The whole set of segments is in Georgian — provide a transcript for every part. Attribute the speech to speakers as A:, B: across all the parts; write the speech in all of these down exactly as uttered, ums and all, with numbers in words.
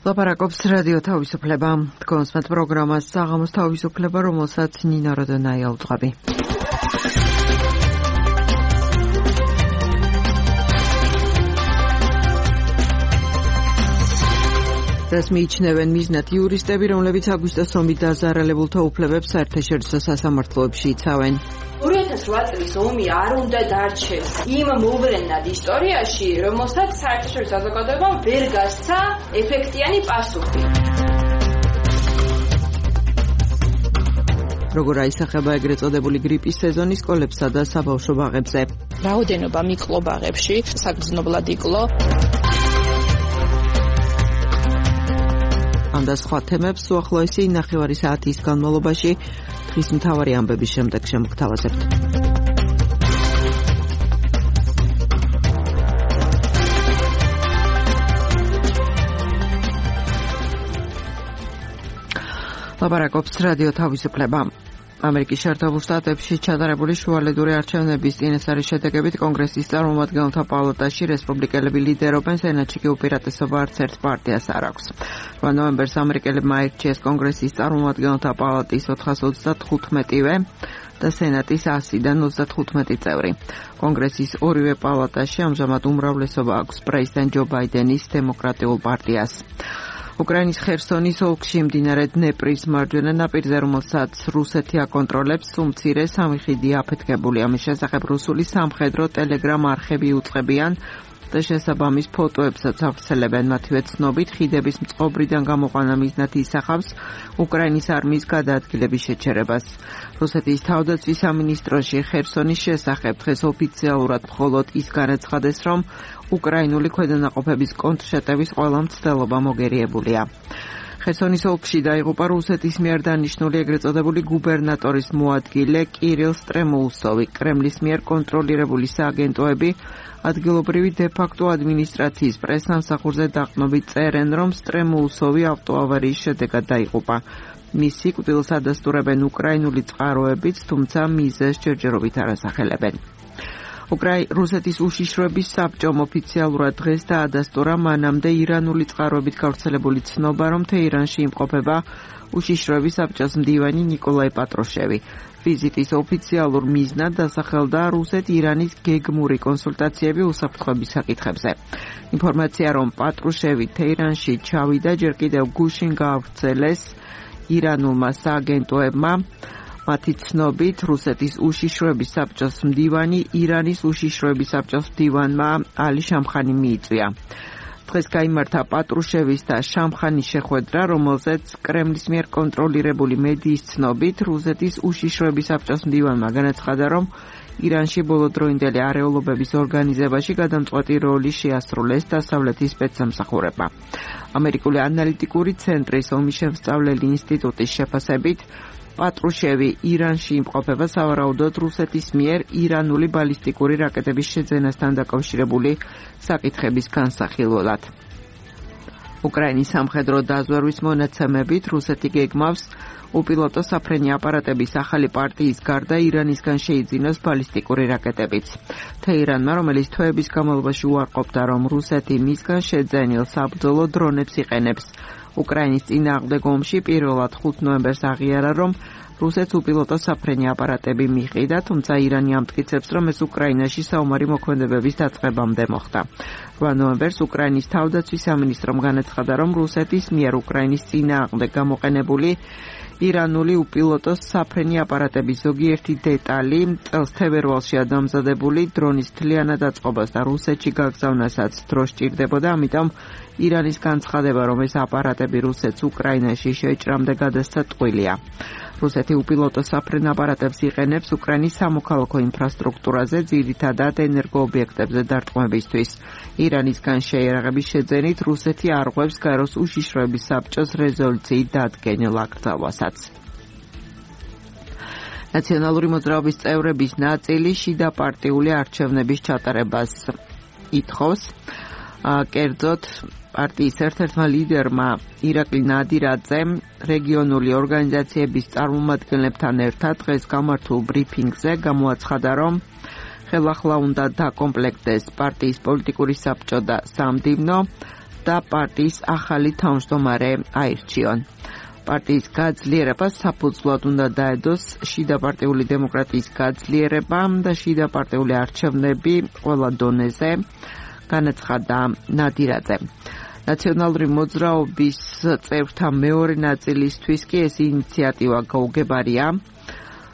A: ლაპარაკობს რადიო თავისუფლება. კონსმეთ პროგრამას საღამოს თავისუფლება, რომელსაც ნინა როდონაია უძღვები. ეს მიიჩნევენ მიზნად იურისტები, რომლებიც აგვისტოს ომით დაზარალებულთა უფლებებს საერთაშორისო სასამართლოებში იცავენ.
B: ორი ათას რვა წლის ომი არ უნდა დარჩეს იმ მოვლენად ისტორიაში, რომელსაც საერთაშორისო საზოგადოებამ ვერ გასცა ეფექტიანი პასუხი.
A: როგორ აისახება ეგრეთ წოდებული გრიპის სეზონი სკოლებსა და საბავშვო ბაღებზე.
C: რაოდენობა მიკლო ბაღებში საგრძნობლად იკლო.
A: ამ და სხვა თემებს უახლოესი ნახევარი საათის განმავლობაში დღის მთავარი ამბების შემდეგ შემოგთავაზებთ. ლაპარაკობს რადიო თავისუფლება. ამერიკის შეერთებულ შტატებში ჩატარებული შუალედური არჩევნების წინასწარი შედეგებით კონგრესის წარმომადგენელთა პალატაში რესპუბლიკელები ლიდერობენ, სენატში კი უპირატესობა არც ერთ პარტიას არ აქვს. რვა ნოემბერს ამერიკელებმა აირჩიეს კონგრესის წარმომადგენელთა პალატის ოთხას ოცდათხუთმეტივე და სენატის ასიდან ოცდათხუთმეტი წევრი. კონგრესის ორივე პალატაში ამჟამად უმრავლესობა აქვს პრეზიდენტ ჯო ბაიდენის დემოკრატიულ პარტიას. უკრაინის ხერსონის ოლქში მდინარე დნეპრის მარჯვენა ნაპირზე, რომელსაც რუსეთი აკონტროლებს, უმცირე სამი ხიდია აფეთქებული. ამის შესახებ რუსული სამხედრო ტელეგრამ არხები უწყებიან და შესაბამის ფოტოებსაც ავრცელებენ. მათივე ცნობით, ხიდების მწყობრიდან გამოყვანა მიზნად ისახავს უკრაინის არმიის გადაადგილების შეჩერებას. რუსეთის თავდაცვის სამინისტროში ხერსონის შესახებ დღეს ოფიციალურად მხოლოდ ის განაცხადეს, რომ უკრაინული ქვედანაყოფების კონტრშეტევის ყველა მცდელობა მოგერიებულია. ხერსონის ოლქში დაიღუპა რუსეთის მიერ დანიშნული ეგრეთ წოდებული გუბერნატორის მოადგილე კირილ სტრემოუსოვი. კრემლის მიერ კონტროლირებული სააგენტოები ადგილობრივი დე-ფაქტო ადმინისტრაციის პრესსამსახურზე დაყრდნობით წერენ, რომ სტრემოუსოვი ავტოავარიის შედეგად დაიღუპა. მის სიკვდილს ადასტურებენ უკრაინული წყაროებიც, თუმცა მიზეზს ჯერჯერობით არ ასახელებენ. უკრაი რუსეთის უშიშროების საბჭომ ოფიციალურად დღეს დაადასტურა მანამდე ირანული წყაროებით გავრცელებული ცნობა, რომ თეირანში იმყოფება უშიშროების საბჭოს მდივანი ნიკოლაი პატრუშევი. ვიზიტის ოფიციალურ მიზნად დასახელდა რუსეთ-ირანის გეგმური კონსულტაციები უსაფრთხოების საკითხებზე. ინფორმაცია, რომ პატრუშევი თეირანში ჩავიდა, ჯერ კიდევ გუშინ გაავრცელეს ირანულმა სააგენტოებმა. მათი ცნობით, რუსეთის უშიშროების საბჭოს მდივანი ირანის უშიშროების საბჭოს მდივანმა ალი შამხანი მიიწვია. დღეს გაიმართა პატრუშევის და შამხანის შეხვედრა, რომელზეც კრემლის მიერ კონტროლირებული მედიის ცნობით, რუსეთის უშიშროების საბჭოს მდივანმა განაცხადა, რომ ირანში ბოლოდროინდელი არეულობების ორგანიზებაში გადამწყვეტი როლი შეასრულეს დასავლეთის სპეცსამსახურებმა. ამერიკული ანალიტიკური ცენტრის ომისშემსწავლელი ინსტიტუტის შეფასებით, პატრუშევი ირანში იმყოფება სავარაუდოდ რუსეთის მიერ ირანული ბალისტიკური რაკეტების შეძენასთან დაკავშირებული საკითხების განსახილველად. უკრაინის სამხედრო დაზვერვის მონაცემებით რუსეთი გეგმავს უპილოტო საფრენი აპარატების ახალი პარტიის გარდა ირანისგან შეიძინოს ბალისტიკური რაკეტებიც. თეირანმა, რომელიც თვეების განმავლობაში უარყოფდა, რომ რუსეთი მისგან შეძენილ საბრძოლო დრონებს იყენებს, უკრაინის წინააღმდეგ ომში პირველად ხუთ ნოემბერს აღიარა, რომ რუსეთს უპილოტო საფრენი აპარატები მიჰყიდა, თუმცა ირანი ამტკიცებს, რომ ეს უკრაინაში საომარი მოქმედებების დაწყებამდე მოხდა. რვა ნოემბერს უკრაინის თავდაცვის სამინისტრომ განაცხადა, რომ რუსეთის მიერ უკრაინის წინააღმდეგ გამოყენებული ირანული უპილოტო საფრენი აპარატების ზოგიერთი დეტალი წელს თებერვალშია დამზადებული, დრონის მთლიანად აწყობას და რუსეთში გაგზავნასაც დრო სჭირდებოდა, ამიტომ ირანის განცხადება, რომ ეს აპარატები რუსეთს უკრაინაში შეჭრამდე გადასცა ტყუილია. რუსეთი უპილოტო საფრენ აპარატებს იყენებს უკრაინის სამოქალაქო ინფრასტრუქტურაზე, ძირითადად ენერგოობიექტებზე დარტყმებისთვის. ირანისგან შეიარაღების შეძენით რუსეთი არღვევს გაეროს უშიშროების საბჭოს რეზოლუციით დადგენილ აკრძალვასაც. ნაციონალური მოძრაობის წევრების ნაწილი შიდა პარტიული არჩევნების ჩატარებას ითხოვს. კერძოდ პარტიის ერთ-ერთმა ლიდერმა ირაკლი ნადირაძემ რეგიონული ორგანიზაციების წარმომადგენლებთან ერთად დღეს გამართულ ბრიფინგზე გამოაცხადა, რომ ხელახლა უნდა დაკომპლექტდეს პარტიის პოლიტიკური საბჭო და სამდივნო და პარტიის ახალი თავმჯდომარე აირჩიონ. პარტიის გაძლიერებას საფუძვლად უნდა დაედოს შიდაპარტიული დემოკრატიის გაძლიერება და შიდაპარტიული არჩევნები ყველა დონეზე, განაცხადა ნადირაძე. ნაციონალური მოძრაობის წევრთა მეორე ნაწილისთვის კი ეს ინიციატივა გაუგებარია.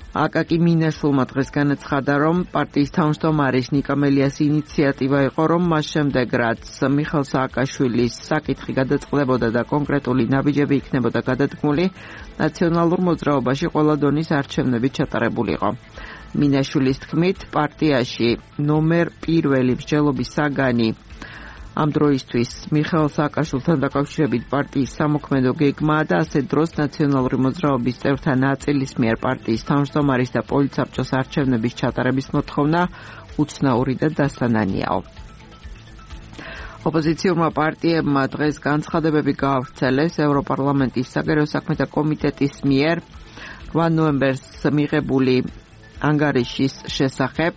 A: აკაკი მინაშვილმა დღეს განაცხადა, რომ პარტიის თავმჯდომარის ნიკა მელიას ინიციატივა იყო, რომ მას შემდეგ, რაც მიხეილ სააკაშვილის საკითხი გადაწყდებოდა და კონკრეტული ნაბიჯები იქნებოდა გადადგმული, ნაციონალურ მოძრაობაში ყველა დონის არჩევნები ჩატარებულიყო. მინაშვილის თქმით, პარტიაში ნომერ პირველი მსჯელობის საგანი ამ დროისთვის მიხეილ სააკაშვილთან დაკავშირებით პარტიის სამოქმედო გეგმაა და ასეთ დროს ნაციონალური მოძრაობის წევრთა ნაწილის მიერ პარტიის თავმჯდომარის და პოლიტსაბჭოს არჩევნების ჩატარების მოთხოვნა უცნაური და დასანანიაო. ოპოზიციურმა პარტიებმა დღეს განცხადებები გაავრცელეს ევროპარლამენტის საგარეო საქმეთა კომიტეტის მიერ რვა ნოემბერს მიღებული ანგარიშის შესახებ.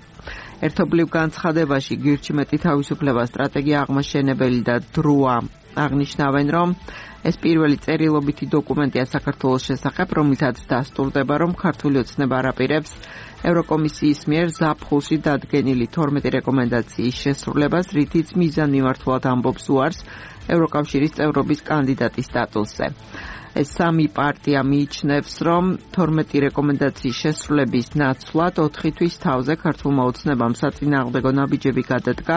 A: ერთობლივ განცხადებაში გირჩი მეტი თავისუფლება, სტრატეგია აღმაშენებელი და დროა აღნიშნავენ, რომ ეს პირველი წერილობითი დოკუმენტია საქართველოს შესახებ, რომლითაც დასტურდება, რომ ქართული ოცნება არ აპირებს ევროკომისიის მიერ ზაფხულში დადგენილი თორმეტი რეკომენდაციის შესრულებას, რითიც მიზანმიმართულად ამბობს უარს ევროკავშირის წევრობის კანდიდატის სტატუსზე. ეს სამი პარტია მიიჩნევს, რომ თორმეტი რეკომენდაციის შესრულების ნაცვლად ოთხი თვის თავზე ქართულმა ოცნებამ საწინააღმდეგო ნაბიჯები გადადგა,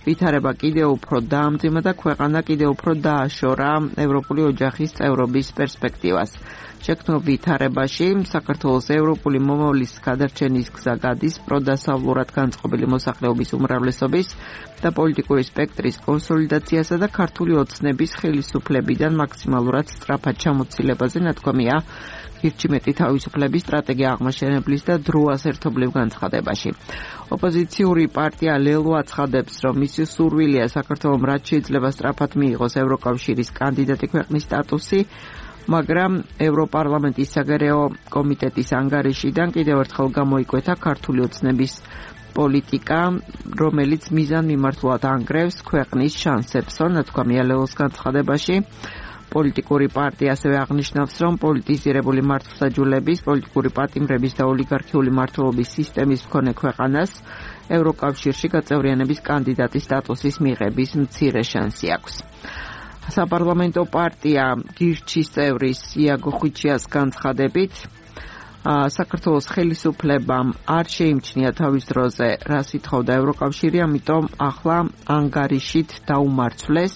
A: ვითარება კიდევ უფრო დაამძიმა და ქვეყანა კიდევ უფრო დააშორა ევროპული ოჯახის წევრობის პერსპექტივას. შექმნილ ვითარებაში საქართველოს ევროპული მომავლის გადარჩენის გზა გადის პროდასავლურად განწყობილი მოსახლეობის უმრავლესობის და პოლიტიკური სპექტრის კონსოლიდაციასა და ქართული ოცნების ხელისუფლებიდან მაქსიმალურად სწრაფად ჩამოცილებაზე ნათქვამია გირჩი მეტი თავისუფლების სტრატეგია აღმაშენებლის და დროას ერთობლივ განცხადებაში. ოპოზიციური პარტია ლელო აცხადებს, რომ მისი სურვილია საქართველოს რაც შეიძლება სწრაფად მიიღოს ევროკავშირის კანდიდატი ქვეყნის სტატუსი, მაგრამ ევროპარლამენტის საგარეო კომიტეტის ანგარიშიდან კიდევ ერთხელ გამოიკვეთა ქართული ოცნების პოლიტიკა, რომელიც მიზანმიმართულად ანგრევს ქვეყნის შანსებსო, ნათქვამია ლელოს განცხადებაში. პოლიტიკური პარტია ასევე აღნიშნავს, რომ პოლიტიზირებული მართლმსაჯულების, პოლიტიკური პატიმრების და ოლიგარქიული მმართველობის სისტემის მქონე ქვეყანას ევროკავშირში გაწევრიანების კანდიდატის სტატუსის მიღების მცირე შანსი აქვს. საპარლამენტო პარტია გირჩის წევრის იაგო ხვიჩიას განცხადებით, საქართველოს ხელისუფლებამ არ შეიმჩნია თავის დროზე, რას ითხოვდა ევროკავშირი, ამიტომ ახლა ანგარიშით დაუმარცვლეს.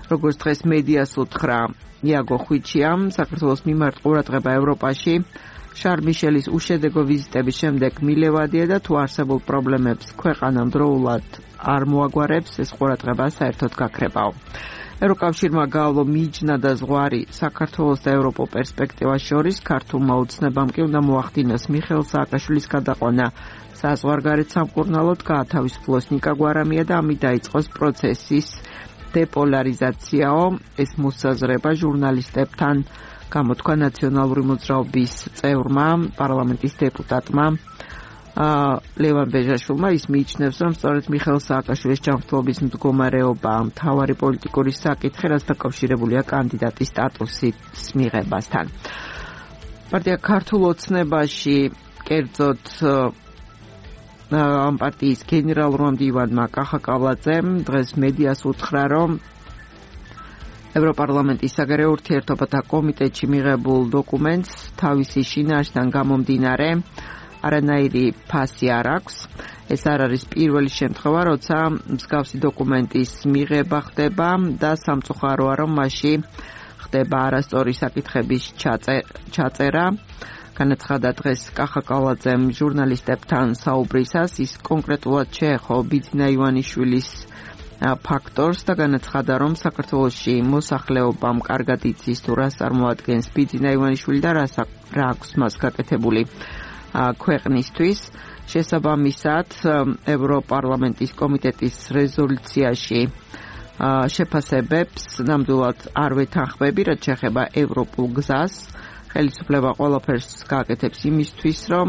A: როგორც დღეს მედიას უთხრა იაგო ხვიჩიამ, საქართველოს მიმართ ყურადღება ევროპაში შარლ მიშელის უშედეგო ვიზიტების შემდეგ მილევადია და თუ არსებულ პრობლემებს ქვეყანა დროულად არ მოაგვარებს, ეს ყურადღება საერთოდ გაქრებაო. ევროკავშირმა გაავლო მიჯნა და ზღვარი საქართველოს და ევროპულ პერსპექტივას შორის, ქართულმა ოცნებამ კი უნდა მოახდინოს მიხეილ სააკაშვილის გადაყვანა საზღვარგარეთ სამკურნალოდ, გაათავისუფლოს ნიკა გვარამია და ამით დაიწყოს პროცესის დეპოლარიზაციაო. ეს მოსაზრება ჟურნალისტებთან გამოთქვა ნაციონალური მოძრაობის წევრმა, პარლამენტის დეპუტატმა ლევან ბეჟაშვილმა. ის მიიჩნევს, რომ სწორედ მიხეილ სააკაშვილის ჯანმრთელობის მდგომარეობა მთავარი პოლიტიკური საკითხი, რაც დაკავშირებულია კანდიდატის სტატუსის მიღებასთან. პარტია ქართულ ოცნებაში, კერძოდ ამ პარტიის გენერალურმა მდივანმა კახა კავლაძემ დღეს მედიას უთხრა, რომ ევროპარლამენტის საგარეო ურთიერთობათა კომიტეტში მიღებულ დოკუმენტს თავისი შინაარსიდან გამომდინარე არანაირი ფასი არ აქვს. ეს არ არის პირველი შემთხვევა, როცა მსგავსი დოკუმენტის მიღება ხდება და სამწუხაროა, რომ მასში ხდება არასწორი საკითხების ჩაწერა. განაცხადა დღეს კახა კავლაძემ ჟურნალისტებთან საუბრისას, ის კონკრეტულად შეეხო ბიძინა ივანიშვილის ფაქტორს და განაცხადა, რომ საქართველოში მოსახლეობამ კარგად იცის თუ რას წარმოადგენს ბიძინა ივანიშვილი და რა აქვს მას გაკეთებული ქვეყნისთვის. შესაბამისად, ევროპარლამენტის კომიტეტის რეზოლუციაში შეფასებებს ნამდვილად არ ვეთანხმები, რაც შეეხება ევროპულ გზას. ხელისუფლება ყველაფერს გააკეთებს იმისთვის, რომ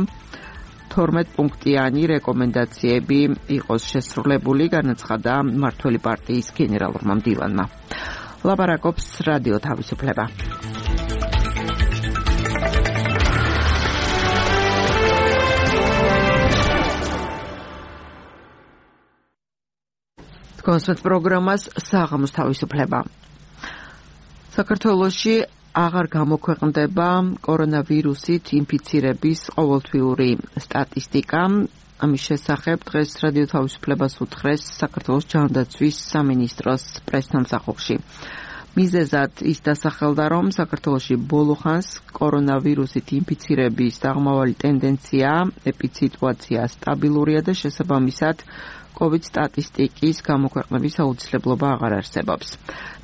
A: თორმეტ პუნქტიანი რეკომენდაციები იყოს შესრულებული, განაცხადა მმართველი პარტიის გენერალურმა მდივანმა. ლაპარაკობს რადიო თავისუფლება. კონსერტ პროგრამას საღამოს თავისუფლება. საქართველოში აღარ გამოქვეყნდება კორონავირუსით ინფიცირების ყოველთვიური სტატისტიკა. ამის შესახებ დღეს რადიო თავისუფლებას უთხრეს საქართველოს ჯანდაცვის სამინისტროს პრესთამსახურში. მიზეზად ის დასახელდა, რომ საქართველოში ბოლო ხანს კორონავირუსით ინფიცირების აღმავალი ტენდენცია, ეპიდსიტუაცია სტაბილურია და შესაბამისად COVID სტატისტიკის გამოქვეყნების აუცილებლობა აღარ არსებობს.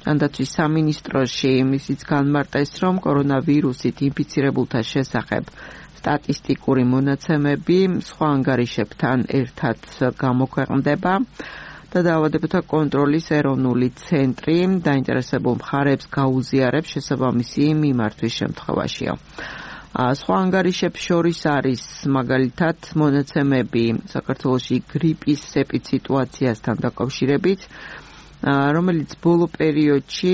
A: ჯანდაცვის სამინისტროში ისიც განმარტეს, რომ კორონავირუსით ინფიცირებულთა შესახებ სტატისტიკური მონაცემები სხვა ანგარიშებთან ერთად გამოქვეყნდება და დაავადებათა კონტროლის ეროვნული ცენტრი დაინტერესებულ მხარებს გაუზიარებს შესაბამისი მიმართვის შემთხვევაშია. სხვა ანგარიშებს შორის არის მაგალითად მონაცემები საქართველოში გრიპის ეპიდსიტუაციასთან დაკავშირებით, რომელიც ბოლო პერიოდში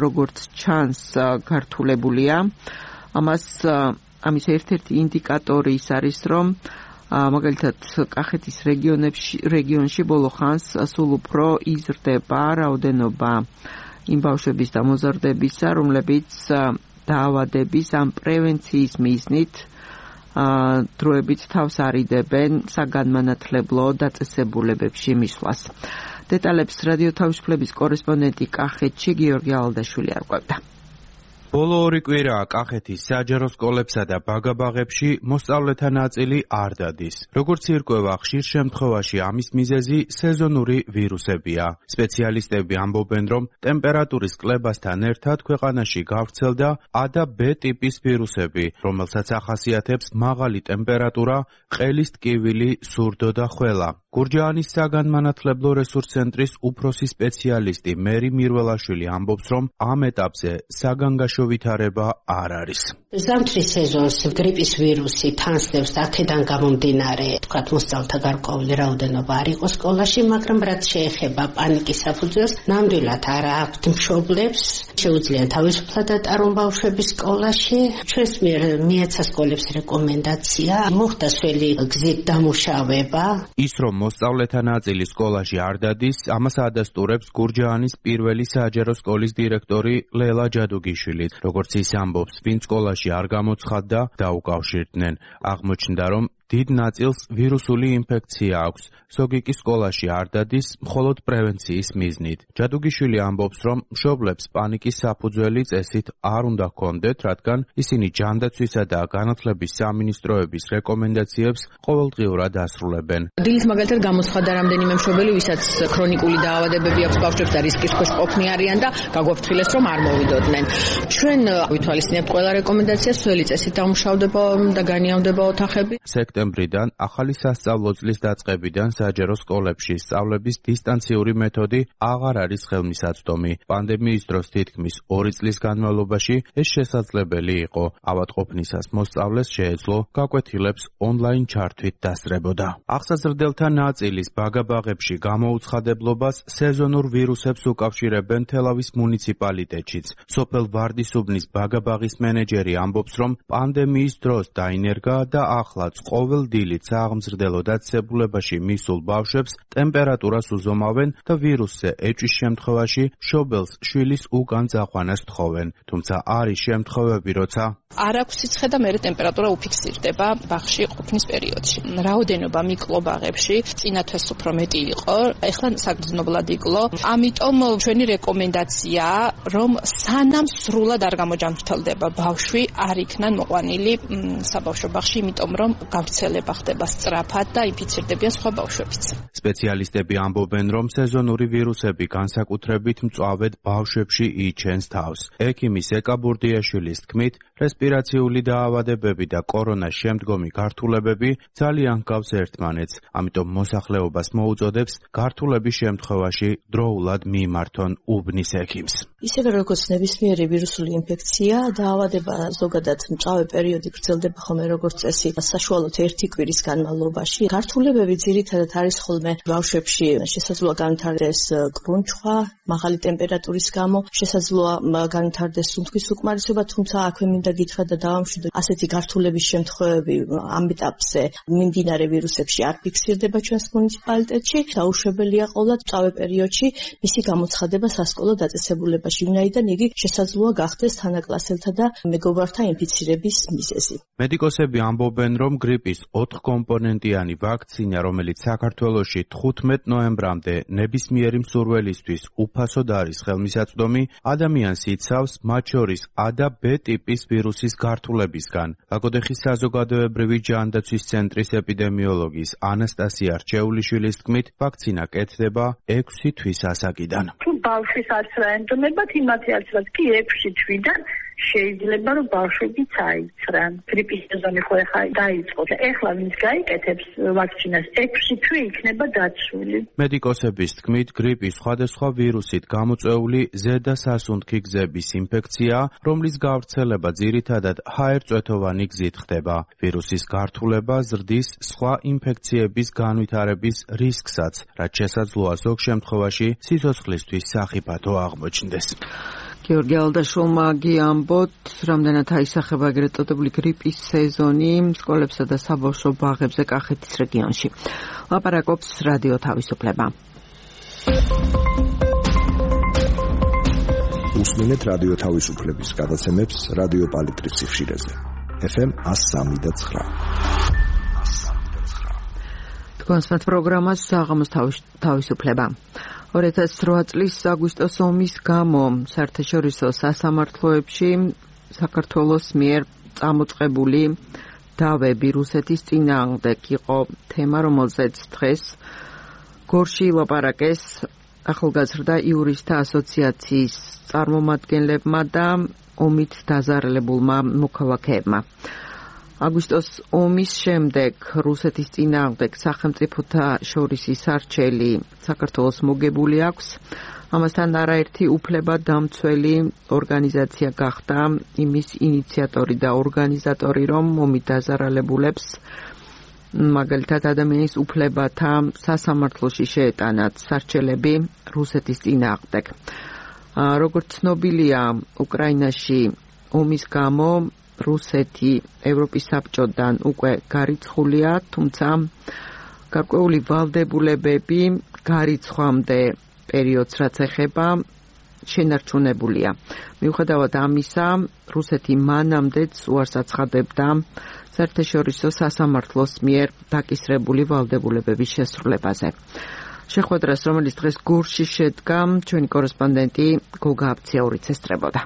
A: როგორც ჩანს გართულებულია. ამას ამის ერთ-ერთი ინდიკატორი ის არის, რომ მაგალითად კახეთის რეგიონში ბოლო ხანს სულ უფრო იზრდება რაოდენობა იმ ბავშვების და მოზარდებისა, რომლებიც დაავადების ამ პრევენციის მიზნით დროებით თავს არიდებენ საგანმანათლებლო დაწესებულებებში მისვლას. დეტალებს რადიო თავისუფლების კორესპონდენტი კახეთში გიორგი ალდაშვილი არკვევდა.
D: ბოლო ორი კვირაა კახეთის საჯარო სკოლებსა და ბაგაბაღებში მოსწავლეთა ნაწილი არ დადის. როგორც ირკვევა, ხშირ შემთხვევაში ამის მიზეზი სეზონური ვირუსებია. სპეციალისტები ამბობენ, რომ ტემპერატურის კლებასთან ერთად ქვეყანაში გავრცელდა A და B ტიპის ვირუსები, რომელსაც ახასიათებს მაღალი ტემპერატურა, ყელის ტკივილი, სურდო და ხველა. გურჯაანის საგანმანათლებლო რესურს ცენტრის უფროსი სპეციალისტი მერი მირველაშვილი ამბობს, რომ ამ ეტაპზე საგანგაშო ვითარება არ არის.
E: ზამთრის სეზონს გრიპის ვირუსი თანსდებს და აქედან გამომდინარე, თქვათ მოსწავლეთა გარკვეული რაოდენობა არ იყო სკოლაში, მაგრამ რაც შეეხება პანიკის საფუძველს, ნამდვილად არ აქვთ მშობლებს, შეუძლია თავისუფლად ატარონ ბავშვები სკოლაში. ჩვენს მიერ მიეცა სკოლებს რეკომენდაცია, მოხდა სველი გზით დამუშავება.
D: ის რომ მოსწავლეთა ნაწილი სკოლაში არ დადის, ამას ადასტურებს გურჯაანის პირველი საჯარო სკოლის დირექტორი ლელა ჯადუგიშვილი. როგორც ის ამბობს, ვინც სკოლაში არ გამოცხადდა, დაუკავშირდნენ. აღმოჩნდა, რომ დიდ ნაწილს ვირუსული ინფექცია აქვს. ზოგი კი სკოლაში არ დადის, მხოლოდ პრევენციის მიზნით. ჯადუგიშვილი ამბობს, რომ მშობლებს პანიკის საფუძველი წესით არ უნდა ჰქონდეთ, რადგან ისინი ჯანდაცვისა და განათლების სამინისტროების რეკომენდაციებს ყოველდღიურად ასრულებენ.
C: დილით მაგალითად გამოცხადდა რამდენიმე მშობელი, ვისაც ქრონიკული დაავადებები აქვს ბავშვებს და რისკის ქვეშ ყოფნი არიან და გაგვაფრთხილეს, რომ არ მოვიდოდნენ. ჩვენ ვითვალისწინებთ ყველა რეკომენდაციას, სველი წესით დამუშავდება და განიავდება ოთახები.
D: სექტემბრიდან ახალი სასწავლო წლის დაწყებიდან საჯარო სკოლებში სწავლების დისტანციური მეთოდი აღარ არის ხელმისაწვდომი. პანდემიის დროს თითქმის ორი წლის განმავლობაში ეს შესაძლებელი იყო. ავადმყოფნისას მოსწავლეს შეეძლო გაკვეთილებს ონლაინ ჩართვით დასწრებოდა. აღსაზრდელთა ნაწილის ბაგაბაღებში გამოუცხადებლობას სეზონურ ვირუსებს უკავშირებენ თელავის მუნიციპალიტეტშიც. სოფელ ვარდისუბნის ბაგაბაღის მენეჯერი ამბობს, რომ პანდემიის დროს დაინერგა და ახლაც ყოველ დილით სააღმზრდელო დაწესებულებაში მისულ ბავშვებს ტემპერატურას უზომავენ და ვირუსზე ეჭვის შემთხვევაში მშობელს შვილის უკან წაყვანას თხოვენ. თუმცა არის შემთხვევები, როცა
C: არ აქვს სიცხე და მერე ტემპერატურა უფიქსირდება ბაღში ყოფნის პერიოდში. რაოდენობა მიკლობაღებში წინა თვეს უფრო მეტი იყო, ეხლა საგრძნობლად იკლო. ამიტომ ჩვენი რეკომენდაციაა, რომ სანამ სრულად არ გამოჯანმრთელდება ბავშვი, არ იქნან მოყვანილი საბავშვო ბაღში, იმიტომ რომ გავრცელება ხდება სწრაფად და ინფიცირდებიან სხვა ბავშვებიც.
D: სპეციალისტები ამბობენ, რომ სეზონური ვირუსები განსაკუთრებით მწვავედ ბავშვებში იჩენს თავს. ექიმი სეკა ბურდიაშვილის თქმით, რესპირაციული დაავადებები და კორონას შემდგომი გართულებები ძალიან ჰგავს ერთმანეთს, ამიტომ მოსახლეობას მოუწოდებს გართულების შემთხვევაში დროულად მიიმართონ უბნის ექიმს.
C: ისევე როგორც ნებისმიერი ვირუსული ინფექცია, დაავადება ზოგადად მწვავე პერიოდი გრძელდება ხოლმე როგორც წესი, საშუალოდ ერთი კვირის განმავლობაში. გართულებები ძირითადად არის ხოლმე ბავშვებში, შესაძლოა განვითარდეს კრუნჩხვა, მაღალი ტემპერატურის გამო, შესაძლოა განვითარდეს სუნთქვის უკმარისობა, თუმცა აქვე მინდა გითხრა და დავამშვიდო, ასეთი გართულების შემთხვევები ამ ეტაპზე მიმდინარე ვირუსებში არ ფიქსირდება ჩვენს მუნიციპალიტეტში. დაუშვებელია ყოვლად მწვავე პერიოდში მისი გამოცხადება სასკოლო დაწესებულებაში, ვინაიდან იგი შესაძლოა გახდეს თანაკლასელთა და მეგობართა ინფიცირების მიზეზი.
D: მედიკოსები ამბობენ, რომ გრიპის ოთხკომპონენტიანი ვაქცინა, რომელიც საქართველოში თხუთმეტ ნოემბრამდე ნებისმიერი მსურველისთვის უფასოდ არის ხელმისაწვდომი, ადამიანს იცავს მათ შორის A და B ტიპის ვირუსის გართულებისგან. ლაგოდეხის საზოგადოებრივი ჯანდაცვის ცენტრის ეპიდემიოლოგის ანასტასია რჩეულიშვილის თქმით, ვაქცინა კეთდება ექვსი თვის ასაკიდან.
F: თუ ბავშვის არც რა ენტონებათ, იმათი არც რაც კი ექვსი თვიდან შეიძლება რომ ბავშვებიც აიცრან. გრიპის სეზონი ხო ახლა დაიწყო. ეხლა ვინც გაიკეთებს ვაქცინას, ექვსი თვე იქნება დაცული.
D: მედიკოსების თქმით, გრიპის სხვადასხვა ვირუსით გამოწვეული ზედა სასუნთქი გზების ინფექცია, რომლის გავრცელება ძირითადად ჰაერწვეთოვანი გზით ხდება. ვირუსის გართულება ზრდის სხვა ინფექციების განვითარების რისკსაც, რაც შესაძლოა ზოგ შემთხვევაში სიცოცხლისთვის სახიფათო აღმოჩნდეს.
A: გიორგი ალდაშვილმა გიამბოთ, რამდენად აისახება ეგრეთ წოდებული გრიპის სეზონი სკოლებსა და საბავშვო ბაღებზე კახეთის რეგიონში. ლაპარაკობს რადიო თავისუფლება.
G: უსმენთ რადიო თავისუფლების გადაცემებს რადიო პალიტრის სიხშირეზე. ეფ ემ one oh three point nine.
A: თქვენს პროგრამას საღამოს თავისუფლება. ორი ათას რვა წლის აგვისტოს ომის გამო საერთაშორისო სასამართლოებში საქართველოს მიერ წამოწყებული დავები რუსეთის წინააღმდეგ იყო თემა, რომელზეც დღეს გორში ლაპარაკეს ახალგაზრდა იურისტთა ასოციაციის წარმომადგენლებმა და ომით დაზარალებულმა მოქალაქეებმა. აგვისტოს ომის შემდეგ რუსეთის წინააღმდეგ სახელმწიფოთა შორის ისარჩელი საქართველოს მოგებული აქვს. ამასთან არაერთი უფლება დამცველი ორგანიზაცია გახდა იმის ინიციატორი და ორგანიზატორი, რომ ომით დაზარალებულებს მაგალითად ადამიანის უფლებათა სასამართლოში შეეტანათ სარჩელები რუსეთის წინააღმდეგ. როგორც ცნობილია, უკრაინაში ომის გამო რუსეთი ევროპის საბჭოდან უკვე გარიცხულია, თუმცა გარკვეული ვალდებულებები გარიცხვამდე პერიოდს რაც ეხება შენარჩუნებულია. მიუხედავად ამისა, რუსეთი მანამდეც უარს აცხადებდა საერთაშორისო სასამართლოს მიერ დაკისრებული ვალდებულებების შესრულებაზე. შეხვედრას, რომელიც დღეს გორში შედგა, ჩვენი კორესპონდენტი გოგა აბციაურიც ესწრებოდა.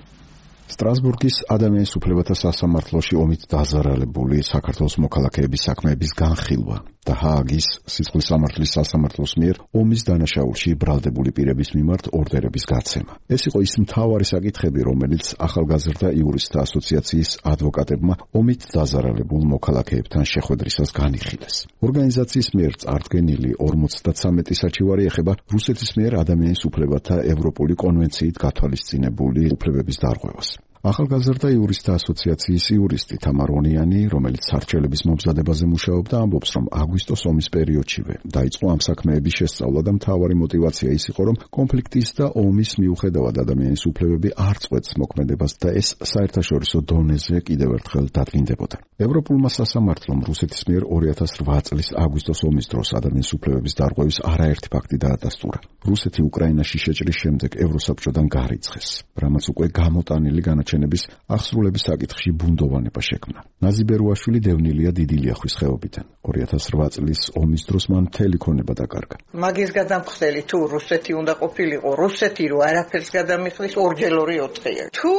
G: სტრასბურგის ადამიანის უფლებათა სასამართლოში ომით დაზარალებული საქართველოს მოქალაქეების საქმეების განხილვა და ჰააგის სიცხლის სამართლის სასამართლოს მიერ ომის დანაშაულში ბრალდებული პირების მიმართ ორდერების გაცემა. ეს იყო ის მთავარი საკითხები, რომელიც ახალგაზრდა იურისტთა ასოციაციის ადვოკატებმა ომით დაზარალებულ მოქალაქეებთან შეხვედრისას განიხილეს. ორგანიზაციის მიერ წარდგენილი ორმოცდათვრამეტი საჩივარი ეხება რუსეთის მიერ ადამიანის უფლებათა ევროპული კონვენციით გათვალისწინებული უფლებების დარღვევას. ახალგაზრდა იურისტთა ასოციაციის იურისტი თამარონიანი, რომელიც სარჩელების მომზადებაზე მუშაობდა, ამბობს, რომ აგვისტოს ომის პერიოდშივე დაიწყო ამ საქმეების შესწავლა და მთავარი мотиваცია ის იყო, რომ კონფლიქტის და ომის მიუხედავად ადამიანის უფლებები არ წყვეტს მოქმედებას და ეს საერთაშორისო დონეზე კიდევ ერთხელ დადგინდებოდა. ევროპულმა სასამართლომ რუსეთის მიერ ორი ათას რვა წლის აგვისტოს ომის დროს ადამიანის უფლებების დარღვევის არაერთი ფაქტი დაადასტურა. რუსეთი უკრაინაში შეჭრის შემდეგ ევროსაბჭოდან გარიცხეს, რამაც უკვე გამოტანილი განაჩენების აღსრულების საკითხში ბუნდოვანება შექმნა. ნაზი ბერუაშვილი დევნილია დიდი ლიახვის ხეობიდან. ორი ათას რვა წლის ომის დროს მან მთელი ქონება დაკარგა.
H: მაგის გადამხდელი თუ რუსეთი უნდა ყოფილიყო, რუსეთი რო არაფერს გადამიხდის ორჯერ ორი ოთხია. თუ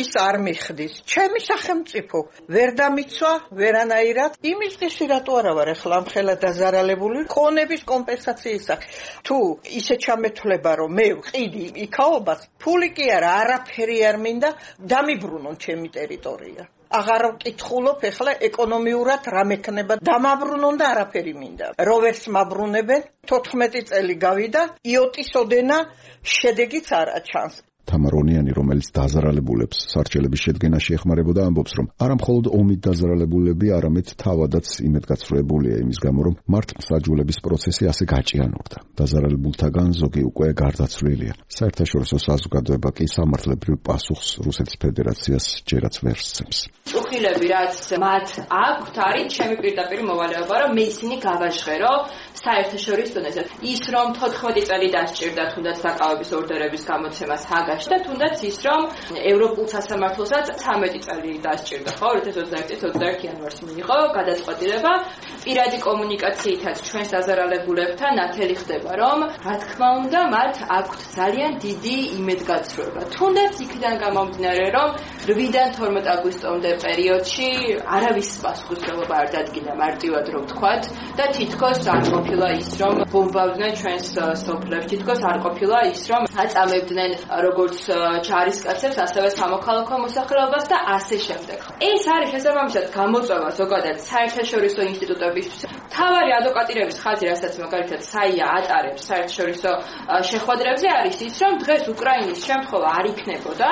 H: ის არ მიხდის, ჩემი სახელმწიფო ვერ დამიცვა ვერანაირად, იმის დღეში რატო არა ვარ ახლა ამხელა დაზარალებული ქონების კომპენსაციის სახით. თუ ისე ჩამეთვლება რომ მე ვყიდი იქაობას, ფული კი არა, არაფერი არ მინდა, დამიბრუნონ ჩემი ტერიტორია. აღარ ვკითხულობ ახლა ეკონომიურად რა მექნება, დამაბრუნონ და არაფერი მინდა. როვერს მაბრუნებენ, თოთხმეტი წელი გავიდა, იოტის ოდენა შედეგიც არ აჩანს.
G: თამარონიანი, რომელიც დაზარალებულებს სარჩელების შედგენაში ეხმარებოდა, ამბობს, რომ არა მხოლოდ ომით დაზარალებულები, არამედ თავადაც იმედგაცრუებულია იმის გამო, რომ მართლმსაჯულების პროცესი ასე გაჭიანურდა. დაზარალებულთაგან ზოგი უკვე გარდაცვლილია. საერთაშორისო საზოგადოება კი სამართლებრივ პასუხს რუსეთის ფედერაციას ჯერაც ვერ სცემს.
B: წუხილები, რაც მათ აქვთ, არის ჩემი პირდაპირ მოვალეობა, რომ მე ისინი გავაჟღერო საერთაშორისო დონეზე. ის რომ თოთხმეტი წელი დასჭირდა თუნდაც დაკავების ორდერების გამოცემას ჰაგაში და თუნდაც ის რომ ევროპულ სასამართლოსაც ცამეტი წელი დასჭირდა, ხო, ორი ათას ოცდაერთი წლის ოცდაერთი იანვარს მიიღო გადაწყვეტილება. პირადი კომუნიკაციითაც ჩვენს დაზარალებულებთან ნათელი ხდება, რომ რა თქმა უნდა მათ აქვთ ძალიან დიდი იმედგაცრუება. თუნდაც იქიდან გამომდინარე, რომ რვიდან თორმეტ აგვისტომდე პერიოდში არავის პასუხისმგებლობა არ დადგინდა, მარტივად რომ ვთქვათ, და თითქოს არ ყოფილა ის, რომ ბომბავდნენ ჩვენს სოფლებს, თითქოს არ ყოფილა ის, რომ აწამებდნენ როგორც ჯარისკაცებს, ასევე სამოქალაქო მოსახლეობას და ასე შემდეგ. ეს არის შესაბამისად გამოწვევა ზოგადად საერთაშორისო ინსტიტუტებისთვის. მთავარი ადვოკატირების ხაზი, რასაც მაგალითად საია ატარებს საერთაშორისო შეხვედრებზე, არის ის, რომ დღეს უკრაინის შემთხვევა არ იქნებოდა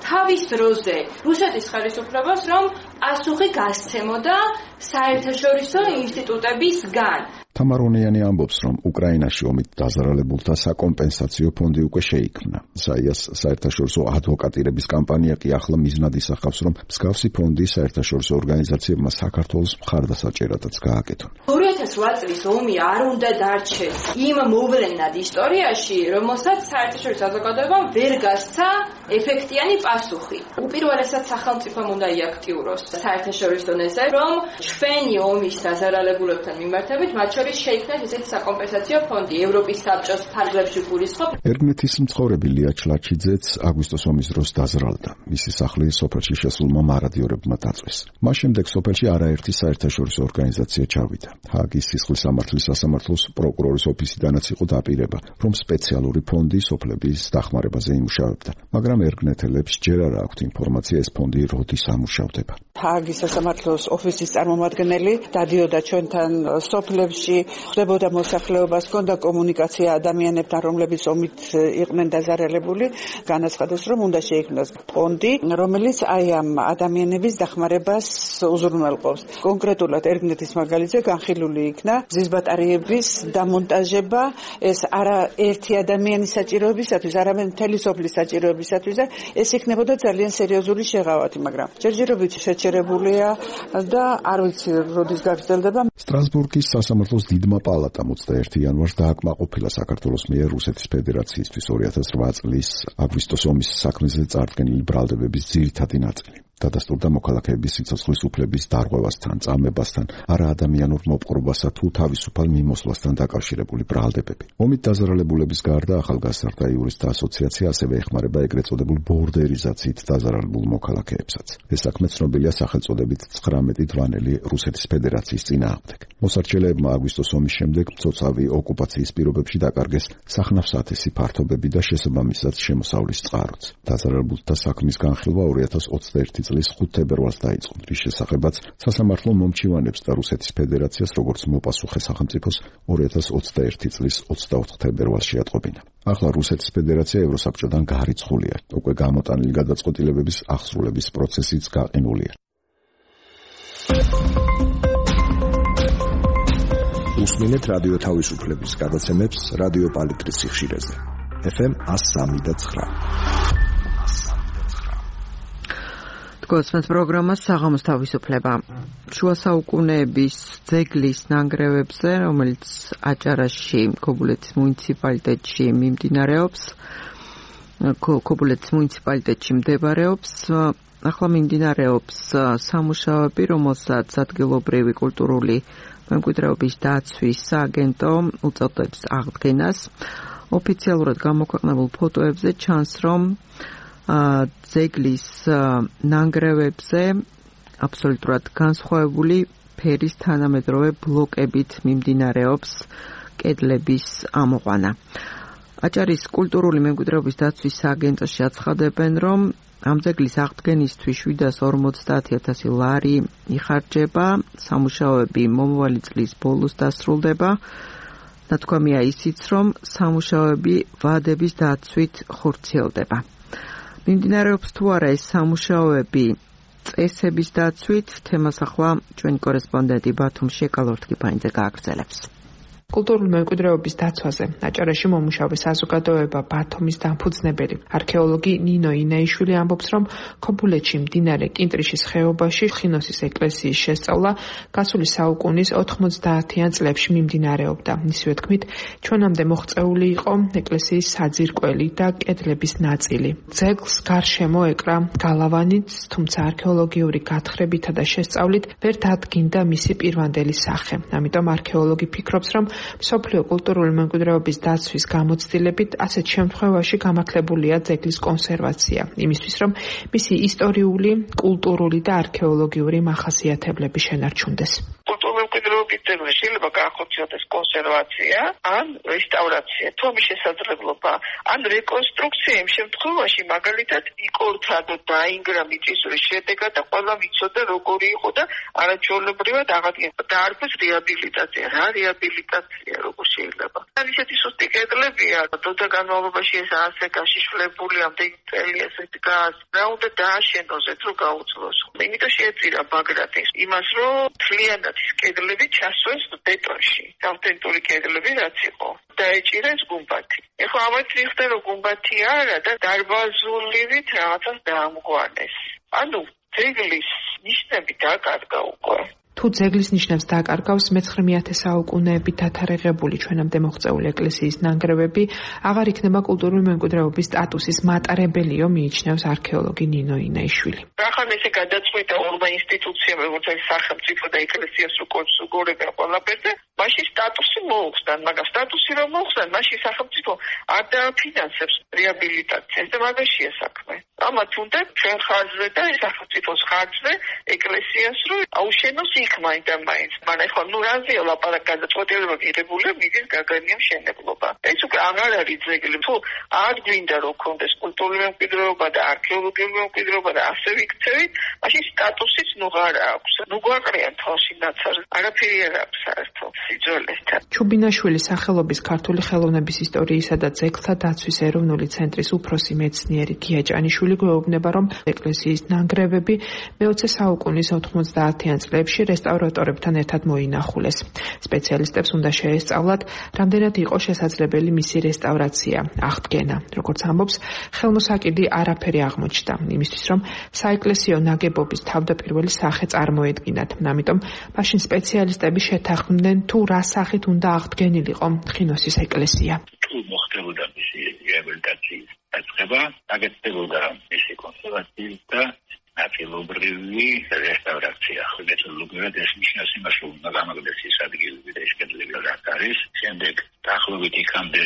B: თავის დროზე რუსეთის ხელისუფლებას, რომ პასუხი გასცემოდა საერთაშორისო ინსტიტუტებისგან.
G: თამარონიანი ამბობს, რომ უკრაინაში ომით დაზარალებულთა საკომპენსაციო ფონდი უკვე შეიქმნა. საიას საერთაშორისო ადვოკატირების კამპანია კი ახლა მიზნად ისახავს, რომ მსგავსი ფონდი საერთაშორისო ორგანიზაციებმა საქართველოს მხარდასაჭერადაც გააკეთონ.
B: ორი ათას ოთხ წლის ომი არ უნდა დარჩეს იმ მოვლენად ისტორიაში, რომელსაც საერთაშორისო საზოგადოებამ ვერ გასცა ეფექტიანი პასუხი. უპირველესად სახელმწიფომ უნდა იაქტიუროს საერთაშორისო დონეზე, რომ ჩვენი ომის დაზარალებულებთან მიმართებით მათ შორის შეიქმნეს ესეთი საკომპენსაციო ფონდი. ევროპის საბჭოს ფარგლებში გულისხმობ.
G: ერგნეთის მცხოვრები ლია ჩლაჩიძეც აგვისტოს ომის დროს დაზრალდა. მისი სახლი სოფელში შესულმა მარადიორებმა დაწვეს. მას შემდეგ სოფელში არაერთი საერთაშორისო ორგანიზაცია ჩავიდა. ჰააგის სისხლის სამართლის სასამართლოს პროკურორის ოფისიდანაც იყო დაპირება, რომ სპეციალური ფონდი სოფლების დახმარებაზე იმუშავებდა. მაგრამ ერგნეთელებს ჯერ არ აქვთ ინფორმაცია, ეს ფონდი როდის ამუშავდება.
I: ჰააგის სასამართლოს ოფისის წარმომადგენელი დადიოდა ჩვენთან სოფლებში, ხდებოდა მოსახლეობას, ჰქონდა კომუნიკაცია ადამიანებთან, რომლებიც ომით იყვნენ დაზარალებული, განაცხადეს, რომ უნდა შეიქმნას ფონდი, რომელიც აი ამ ადამიანების დახმარებას უზრუნველყოფს. კონკრეტულად ერგნეთის მაგალითზე განხილული იქნა გზის ბატარეების დამონტაჟება, ეს არა ერთი ადამიანის საჭიროებისათვის, არამედ მთელი სოფლის საჭიროებისათვის და ეს იქნებოდა ძალიან სერიოზული შეღავათი, მაგრამ ჯერჯერობით შეჩერებულია და არ ვიცი როდის გაგრძელდება.
G: სტრასბურგის სასამართლოს დიდმა პალატამ ოცდაერთი იანვარს დააკმაყოფილა საქართველოს მიერ რუსეთის ფედერაციისთვის ორი ათას ოთხ წლის აგვისტოს ომის საქმეზე წარდგენილი ბრალდებების ძირითადი ნაწილი. დადასტურდა მოქალაქეების სიცოცხლის უფლების დარღვევასთან, წამებასთან, არაადამიანურ მოპყრობასა თუ თავისუფალ მიმოსვლასთან დაკავშირებული ბრალდებები. ომით დაზარალებულების გარდა ახალგაზრდა იურისტთა ასოციაცია ასევე ეხმარება ეგრეთ წოდებულ ბორდერიზაციით დაზარალებულ მოქალაქეებსაც. ეს საქმე ცნობილია სახელწოდებით ცხრამეტი დვანელი რუსეთის ფედერაციის წინააღმდეგ. მოსარჩელეებმა აგვისტოს ომის შემდეგ მცოცავი ოკუპაციის პირობებში დაკარგეს სახნავ-სათესი ფართობები და შესაბამისად შემოსავლის წყაროც. დაზარალებულთა საქმის განხილვა ორი ათას ოცდაერთი წლის ხუთ თებერვალს დაიწყო, რის შესახებაც სასამართლო მომჩივანებს და რუსეთის ფედერაციას როგორც მოპასუხე სახელმწიფოს ორი ათას ოცდაერთი წლის ოცდაოთხ თებერვალს შეატყობინა. ახლა რუსეთის ფედერაცია ევროსაბჭოდან გარიცხულია, უკვე გამოტანილი გადაწყვეტილებების აღსრულების პროცესიც გაყინულია.
J: უსმინეთ რადიო თავისუფლების გადაცემებს რადიო პალიტრის სიხშირეზე. ეფ ემ εκατო სამი და ცხრა.
A: გოსმენს პროგრამას საღამოს თავისუფლება. შუა საუკუნეების ძეგლის ნანგრევებზე, რომელიც აჭარაში, ქობულეთის მუნიციპალიტეტში მიმდინარეობს, ქობულეთის მუნიციპალიტეტში მდებარეობს, ახლა მიმდინარეობს სამუშაოები, რომელსაც ადგილობრივი კულტურული მემკვიდრეობის დაცვის სააგენტო უწოდებს აღდგენას. ოფიციალურად გამოქვეყნებულ ფოტოებზე ჩანს, რომ ძეგლის ნანგრევებზე აბსოლუტურად განსხვავებული ფერის თანამედროვე ბლოკებით მიმდინარეობს კედლების ამოყვანა. აჭარის კულტურული მემკვიდრეობის დაცვის სააგენტოში აცხადებენ, რომ ამ ძეგლის აღდგენისთვის შვიდას ორმოცდაათი ათასი ლარი იხარჯება, სამუშაოები მომავალი წლის ბოლოს დასრულდება. ნათქვამია ისიც, რომ სამუშაოები ვადების დაცვით ხორციელდება. მიმდინარეობს თუ არა ეს სამუშაოები წესების დაცვით, თემას ახლა ჩვენი კორესპონდენტი ბათუმში ეკალორთგიფანიძე გააგრძელებს.
K: კულტურული მემკვიდრეობის დაცვაზე აჭარაში მომუშავე საზოგადოება ბათუმის დამფუძნებელი არქეოლოგი ნინო ინაიშვილი ამბობს, რომ ქობულეთში მდინარე კინტრიშის ხეობაში ხინოსის ეკლესიის შესწავლა გასული საუკუნის ოთხმოცდაათიან წლებში მიმდინარეობდა. მისივე თქმით, ჩვენამდე მოღწეული იყო ეკლესიის საძირკველი და კედლების ნაწილი. ძეგლს გარშემო ეკრა გალავანიც, თუმცა არქეოლოგიური გათხრებითა და შესწავლით ვერ დადგინდა მისი პირვანდელი სახე. ამიტომ არქეოლოგი ფიქრობს, რომ მსოფლიო კულტურული მემკვიდრეობის დაცვის გამოცდილებით ასეთ შემთხვევაში გამართლებულია ძეგლის კონსერვაცია, იმისთვის რომ მისი ისტორიული, კულტურული და არქეოლოგიური მახასიათებლები შენარჩუნდეს.
L: კულტურული მემკვიდრეობის ძეგლი შეიძლება გაახორციელდეს კონსერვაცია ან რესტავრაცია, თუ ამის შესაძლებლობა, ან რეკონსტრუქცია იმ შემთხვევაში, მაგალითად, იკორთა და დაინგრა მიწისძვრის შედეგად და ყველა ვიცოდა როგორი იყო და არაჩვეულებრივად აღადგინა. დაარქვეს რეაბილიტაცია. რა რეაბილიტაცია, როგორ შეიძლება? ან ისეთი სუსტი კედლებია, დროთა განმავლობაში ეს ასე გაშიშვლებული ამდენი წელი ესე დგას. რა უნდა დააშენოს, რომ გაუძლოს. იმიტომ შეეწირა ბაგრატის იმას, რომ მთლიანად ის კედლები ჩასვეს ბეტონში. ავთენტური კედლები რაც იყო. დაეჭირეს გუმბათი. ეხლა ამათ მიხდა რომ გუმბათი არა და დარბაზულივით რაღაცას დაამგვანეს. ანუ ძეგლის ნიშნები დაკარგა უკვე.
K: თუ ძეგლის ნიშნებს დააკარგავს მეცხრე საუკუნეებით დათარიღებული ჩვენამდე მოღწეული ეკლესიის ნანგრევები, აღარ იქნება კულტურული მემკვიდრეობის სტატუსის მატარებელიო, მიიჩნევს არქეოლოგი ნინო ინაიშვილი.
L: ახლა ესე გადაწყვიტა ორმა ინსტიტუციამ, როგორც არის სახელმწიფო და ეკლესიას უკონსულგორებენ ყველაფერზე, მაშინ სტატუსი მოუხსნან, მაგრამ სტატუსი რომ მოუხსნან, მაშინ სახელმწიფო არ დააფინანსებს რეაბილიტაციას და მაგაშია საქმე. ამათ უნდა ჩვენ ხარჯზე და სახელმწიფოს ხარჯზე ეკლესიას რომ აუშენოს იქ მაინც და მაინც. მაგრამ ახლა ნუ რაზეა ლაპარაკი, გადაწყვეტილება მიღებულია მიზის გაგანია მშენებლობა. ეს უკვე აღარ არის ძეგლი. თუ არ გვინდა რომ ქონდეს კულტურული მემკვიდრეობა და არქეოლოგიური მემკვიდრეობა და ასე ვიქცევით, მაშინ სტატუსიც ნუ არ აქვს. ნუ გვაყრიან თვალში ნაცარს, არაფერი არ აქვს საერთოდ სიძველესთან.
K: ჩუბინაშვილის სახელობის ქართული ხელოვნების ისტორიისა და ძეგლთა დაცვის ეროვნული ცენტრის უფროსი მეცნიერი გია ჭანიშვილი გვეუბნება, რომ ეკლესიის ნანგრევები მეოცე საუკუნის ოთხმოცდაათიან წლებში რესტავრატორებთან ერთად მოინახულეს. სპეციალისტებს უნდა შეესწავლათ, რამდენად იყო შესაძლებელი მისი რესტავრაცია, აღდგენა. როგორც ამბობს, ხელმოსაკიდი არაფერი აღმოჩნდა, იმისთვის რომ საეკლესიო ნაგებობის თავდაპირველი სახე წარმოედგინათ. ამიტომ მაშინ სპეციალისტები შეთანხმდნენ, თუ რა სახით უნდა აღდგენილიყო ხინოსის ეკლესია.
M: თუ მოხდებოდა მისი რეაბილიტაციის დაწყება, აგრძელებოდა მისი კონსერვაციის და ნაწილობრივი რესტავრაცია. მეტოდოლოგიურად ეს ნიშნავს იმას, რომ უნდა გამაგდეს ის ადგილები და ეს კედლები რაც არის. შემდეგ დაახლოებით იქამდე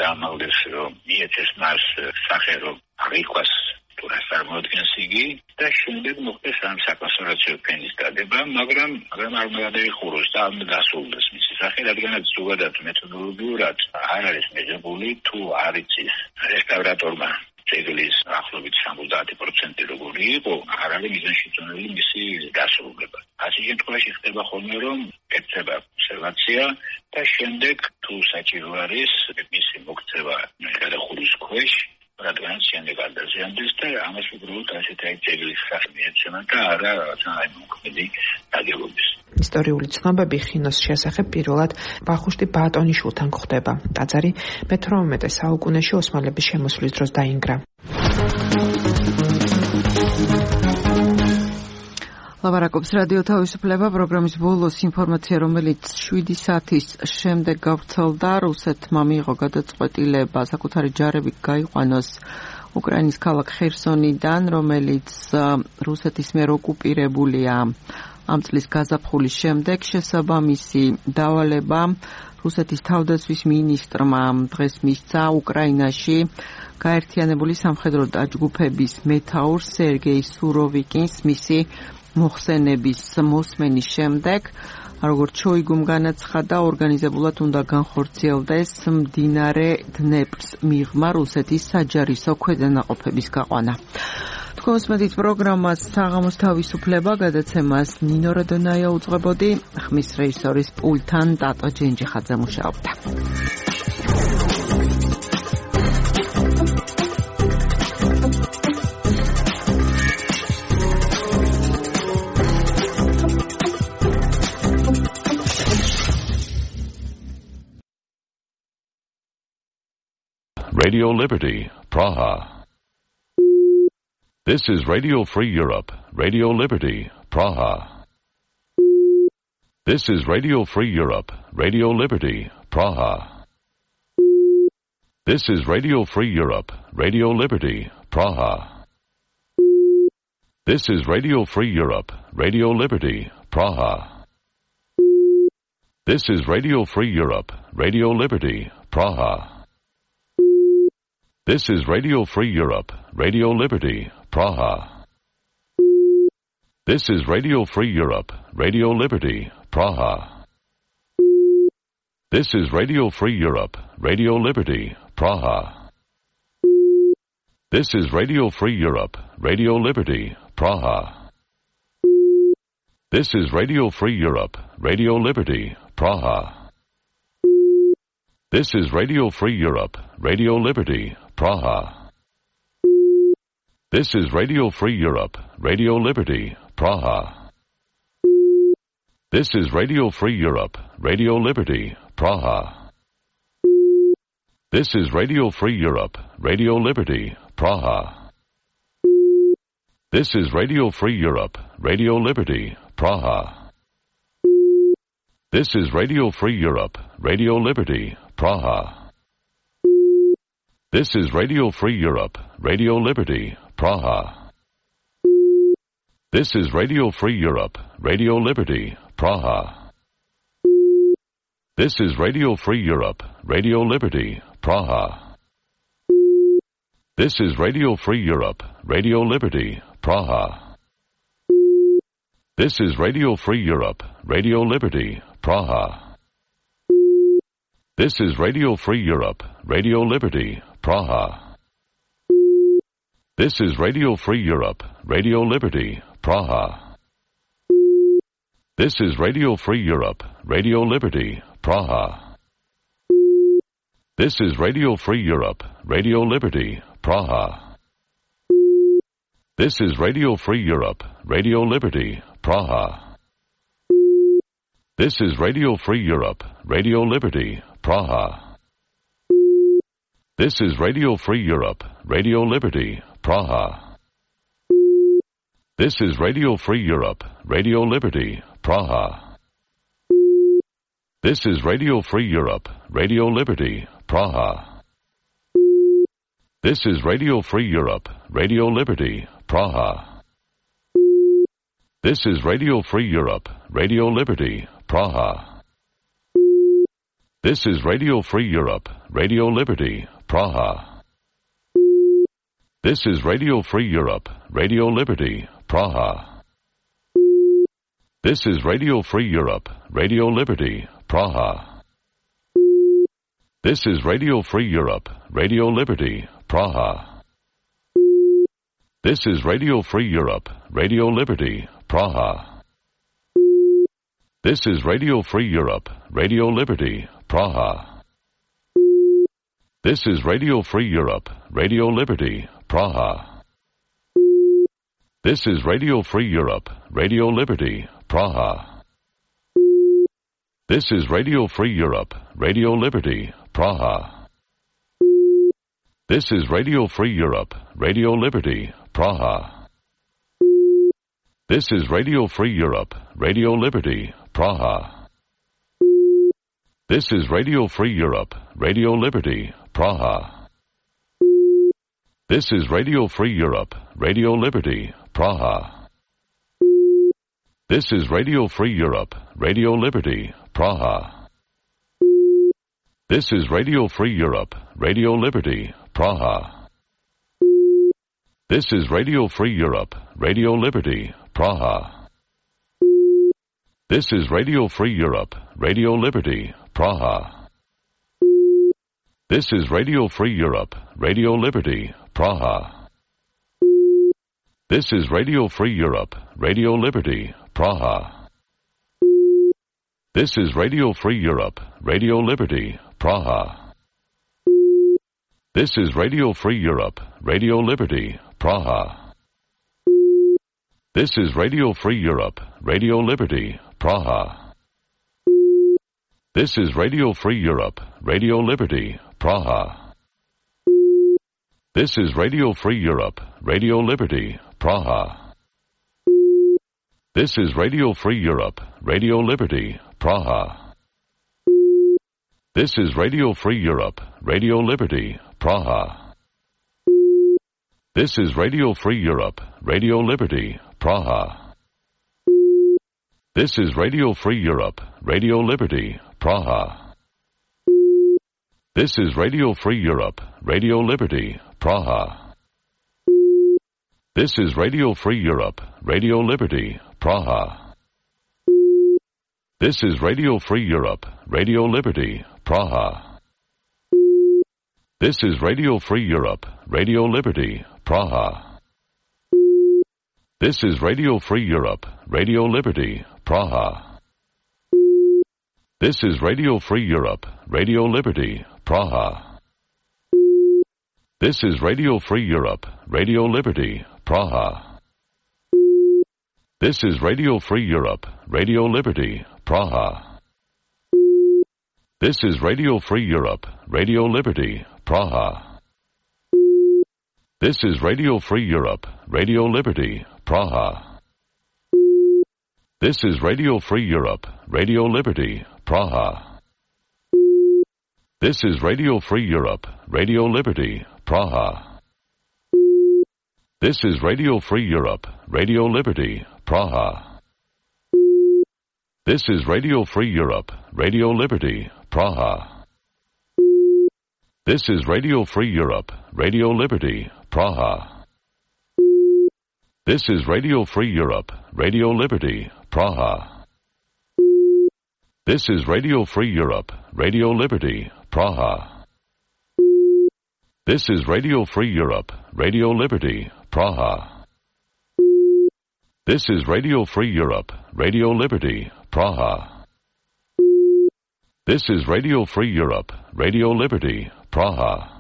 M: გამაგდეს, რომ მიეცეს მას სახე, რომ აღიქვას თუ რას წარმოადგენს იგი და შემდეგ მოხდეს ამ საკონსერვაციო ფენის დადება, მაგრამ მაგრამ არ უნდა დაიხუროს და არ უნდა დასრულდეს მისი სახე, რადგანაც ზოგადად მეთოდოლოგიურად არ არის მიღებული, თუ არ იცის რესტავრატორმა ძეგლის ახლობით სამოცდაათი პროცენტი როგორი იყო, არ არის მიზანშეწონილი მისი დასრულება. ასე შემთხვევაში ხდება ხოლმე, რომ ეწება კონსერვაცია და შემდეგ თუ საჭირო არის მისი მოქცევა გადახურვის ქვეშ, რადგანაც შემდეგ არ დაზიანდეს და ამას უბრალოდ ასეთი აი ძეგლის სახე მიეცემა და არა რაღაცა აი მოქმედი ნაგებობის.
K: ისტორიული ცნობები ხინოს შესახებ პირველად ვახუშტი ბატონიშვილთან გვხვდება. ტაძარი მეთორმეტე საუკუნეში ოსმალების შემოსვლის დროს დაინგრა.
A: ლაპარაკობს რადიო თავისუფლება, პროგრამის ბოლოს ინფორმაცია, რომელიც შვიდი საათის შემდეგ გავრცელდა, რუსეთმა მიიღო გადაწყვეტილება საკუთარი ჯარები გაიყვანოს უკრაინის ქალაქ ხერსონიდან, რომელიც რუსეთის მიერ ოკუპირებულია ამ წლის გაზაფხულის შემდეგ. შესაბამისი დავალება რუსეთის თავდაცვის მინისტრმა დღეს მისცა უკრაინაში გაერთიანებული სამხედრო დაჯგუფების მეთაურ სერგეი სუროვიკინს მისი მოხსენების მოსმენის შემდეგ, როგორც შოიგუმ განაცხადა, ორგანიზებულად უნდა განხორციელდეს მდინარე დნეპრს მიღმა რუსეთის საჯარისო ქვედანაყოფების გაყვანა. თქვენს მედით პროგრამას საღამოს თავისუფლება გადაცემას ნინო როდონაია უძღვებოდი, ხმის რეჟისორის პულტთან ტატო ჯენჯიხაძე მუშაობდა.
N: Radio Liberty, Praha. This is Radio Free Europe, Radio Liberty, Praha. This is Radio Free Europe, Radio Liberty, Praha. This is Radio Free Europe, Radio Liberty, Praha. This is Radio Free Europe, Radio Liberty, Praha. This is Radio Free Europe, Radio Liberty, Praha. This is Radio Free Europe, Radio Liberty, Praha. This is Radio Free Europe, Radio Liberty, Praha. This is Radio Free Europe, Radio Liberty, Praha. This is Radio Free Europe, Radio Liberty, Praha. This is Radio Free Europe, Radio Liberty, Praha. This is Radio Free Europe, Radio Liberty, Praha. This is Radio Free Europe, Radio Liberty, Praha. This is Radio Free Europe, Radio Liberty, Praha. This is Radio Free Europe, Radio Liberty, Praha. This is Radio Free Europe, Radio Liberty, Praha. This is Radio Free Europe, Radio Liberty, Praha. This is Radio Free Europe, Radio Liberty, Praha. This is Radio Free Europe, Radio Liberty, Praha. This is Radio Free Europe, Radio Liberty, Praha. This is Radio Free Europe, Radio Liberty, Praha. This is Radio Free Europe, Radio Liberty, Praha. This is Radio Free Europe, Radio Liberty, Praha. This is Radio Free Europe, Radio Liberty, Praha. This is Radio Free Europe, Radio Liberty, Praha. This is Radio Free Europe, Radio Liberty, Praha. This is Radio Free Europe, Radio Liberty, Praha. This is Radio Free Europe, Radio Liberty, Praha. This is Radio Free Europe, Radio Liberty, Praha. This is Radio Free Europe, Radio Liberty, Praha. This is Radio Free Europe, Radio Liberty, Praha. This is Radio Free Europe, Radio Liberty, Praha. This is Radio Free Europe, Radio Liberty, Praha. This is Radio Free Europe, Radio Liberty, Praha. This is Radio Free Europe, Radio Liberty, Praha. This is Radio Free Europe, Radio Liberty, Praha. This is Radio Free Europe, Radio Liberty, Praha. This is Radio Free Europe, Radio Liberty, Praha. This is Radio Free Europe, Radio Liberty, Praha. This is Radio Free Europe, Radio Liberty, Praha. This is Radio Free Europe, Radio Liberty, Praha. This is Radio Free Europe, Radio Liberty, Praha. This is Radio Free Europe, Radio Liberty, Praha. This is Radio Free Europe, Radio Liberty, Praha. This is Radio Free Europe, Radio Liberty, Praha. This is Radio Free Europe, Radio Liberty, Praha. This is Radio Free Europe, Radio Liberty, Praha. This is Radio Free Europe, Radio Liberty, Praha. This is Radio Free Europe, Radio Liberty, Praha. This is Radio Free Europe, Radio Liberty, Praha. This is Radio Free Europe, Radio Liberty, Praha. This is Radio Free Europe, Radio Liberty, Praha. This is Radio Free Europe, Radio Liberty, Praha. This is Radio Free Europe, Radio Liberty, Praha. This is Radio Free Europe, Radio Liberty, Praha. This is Radio Free Europe, Radio Liberty, Praha. This is Radio Free Europe, Radio Liberty, Praha. This is Radio Free Europe, Radio Liberty, Praha. This is Radio Free Europe, Radio Liberty, Praha. This is Radio Free Europe, Radio Liberty, Praha. This is Radio Free Europe, Radio Liberty, Praha. This is Radio Free Europe, Radio Liberty, Praha. This is Radio Free Europe, Radio Liberty, Praha. This is Radio Free Europe, Radio Liberty, Praha. This is Radio Free Europe, Radio Liberty, Praha. This is Radio Free Europe, Radio Liberty, Praha. This is Radio Free Europe, Radio Liberty, Praha. This is Radio Free Europe, Radio Liberty, Praha. This is Radio Free Europe, Radio Liberty, Praha. This is Radio Free Europe, Radio Liberty, Praha. This is Radio Free Europe, Radio Liberty, Praha. This is Radio Free Europe, Radio Liberty, Praha. This is Radio Free Europe, Radio Liberty, Praha. This is Radio Free Europe, Radio Liberty, Praha. This is Radio Free Europe, Radio Liberty, Praha. This is Radio Free Europe, Radio Liberty, Praha. This is Radio Free Europe, Radio Liberty, Praha. This is Radio Free Europe, Radio Liberty, Praha. This is Radio Free Europe, Radio Liberty, Praha. This is Radio Free Europe, Radio Liberty, Praha. This is Radio Free Europe, Radio Liberty, Praha.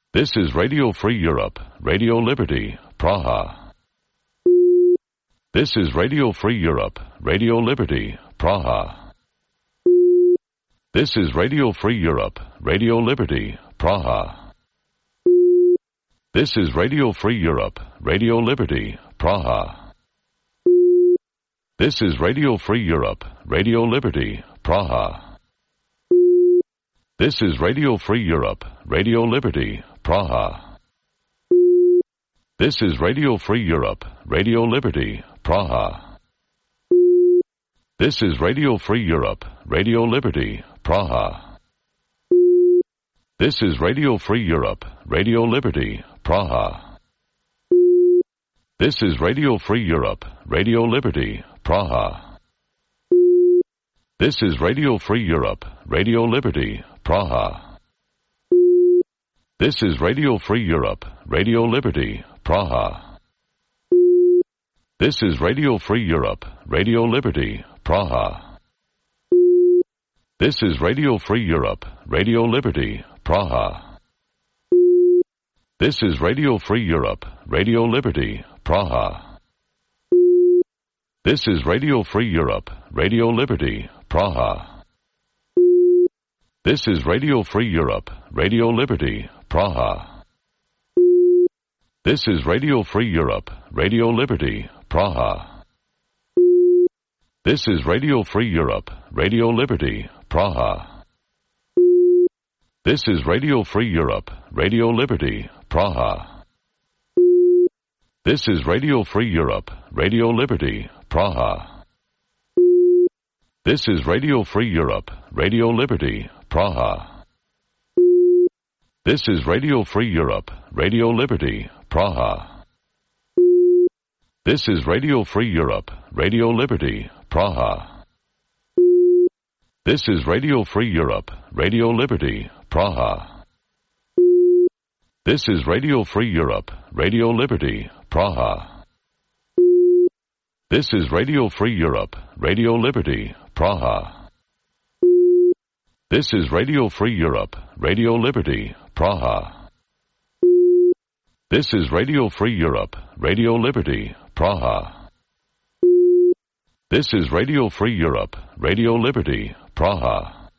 N: This is Radio Free Europe, Radio Liberty, Praha. This is Radio Free Europe, Radio Liberty, Praha. This is Radio Free Europe, Radio Liberty, Praha. This is Radio Free Europe, Radio Liberty, Praha. This is Radio Free Europe, Radio Liberty, Praha. This is Radio Free Europe, Radio Liberty, Praha. This is Radio Free Europe, Radio Liberty, Praha. This is Radio Free Europe, Radio Liberty, Praha. This is Radio Free Europe, Radio Liberty, Praha. This is Radio Free Europe, Radio Liberty, Praha. This is Radio Free Europe, Radio Liberty, Praha. This is Radio Free Europe, Radio Liberty, Praha. This is Radio Free Europe, Radio Liberty, Praha. This is Radio Free Europe, Radio Liberty, Praha. This is Radio Free Europe, Radio Liberty, Praha. This is Radio Free Europe, Radio Liberty, Praha. This is Radio Free Europe, Radio Liberty, Praha. This is Radio Free Europe, Radio Liberty, Praha. This is Radio Free Europe, Radio Liberty, Praha. This is Radio Free Europe, Radio Liberty, Praha. This is Radio Free Europe, Radio Liberty, Praha. This is Radio Free Europe, Radio Liberty, Praha. This is Radio Free Europe, Radio Liberty, Praha. This is Radio Free Europe, Radio Liberty, Praha. This is Radio Free Europe, Radio Liberty, Praha. This is Radio Free Europe, Radio Liberty, Praha. This is Radio Free Europe, Radio Liberty, Praha. This is Radio Free Europe, Radio Liberty, Praha. This is Radio Free Europe, Radio Liberty, Praha. This is Radio Free Europe, Radio Liberty, Praha.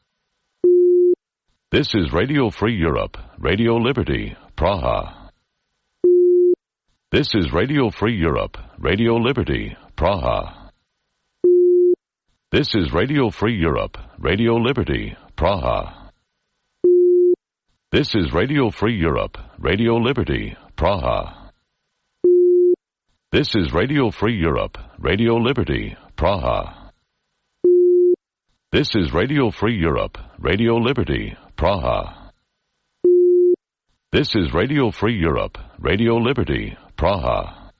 N: This is Radio Free Europe, Radio Liberty, Praha. This is Radio Free Europe, Radio Liberty, Praha. This is Radio Free Europe, Radio Liberty, Praha. This is Radio Free Europe, Radio Liberty, Praha. This is Radio Free Europe, Radio Liberty, Praha. This is Radio Free Europe, Radio Liberty, Praha. This is Radio Free Europe, Radio Liberty, Praha.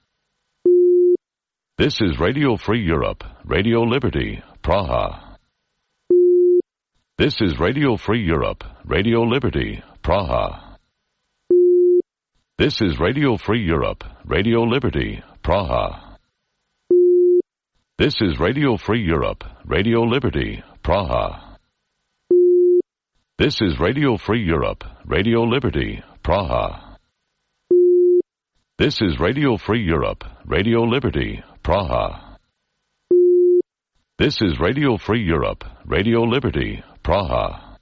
N: This is Radio Free Europe, Radio Liberty, Praha. This is Radio Free Europe, Radio Liberty, Praha. This is Radio Free Europe, Radio Liberty, Praha. This is Radio Free Europe, Radio Liberty, Praha. This is Radio Free Europe, Radio Liberty, Praha. This is Radio Free Europe, Radio Liberty, Praha. This is Radio Free Europe, Radio Liberty, Praha.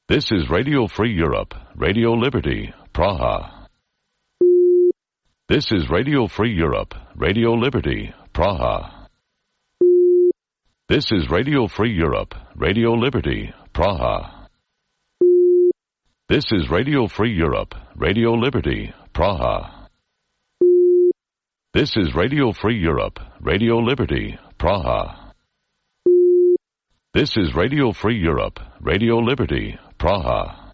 N: This is Radio Free Europe, Radio Liberty, Praha. This is Radio Free Europe, Radio Liberty, Praha. This is Radio Free Europe, Radio Liberty, Praha. This is Radio Free Europe, Radio Liberty, Praha. This is Radio Free Europe, Radio Liberty, Praha. This is Radio Free Europe, Radio Liberty, Praha.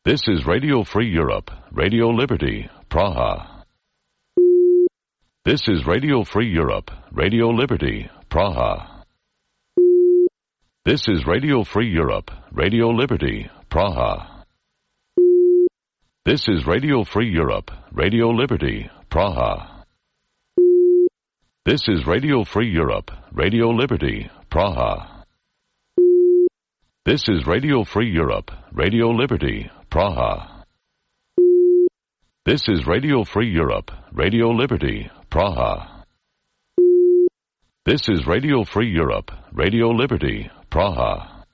N: This is Radio Free Europe, Radio Liberty, Praha. This is Radio Free Europe, Radio Liberty, Praha. This is Radio Free Europe, Radio Liberty, Praha. This is Radio Free Europe, Radio Liberty, Praha. This is Radio Free Europe, Radio Liberty, Praha. This is Radio Free Europe, Radio Liberty, Praha. This is Radio Free Europe, Radio Liberty, Praha. This is Radio Free Europe, Radio Liberty, Praha.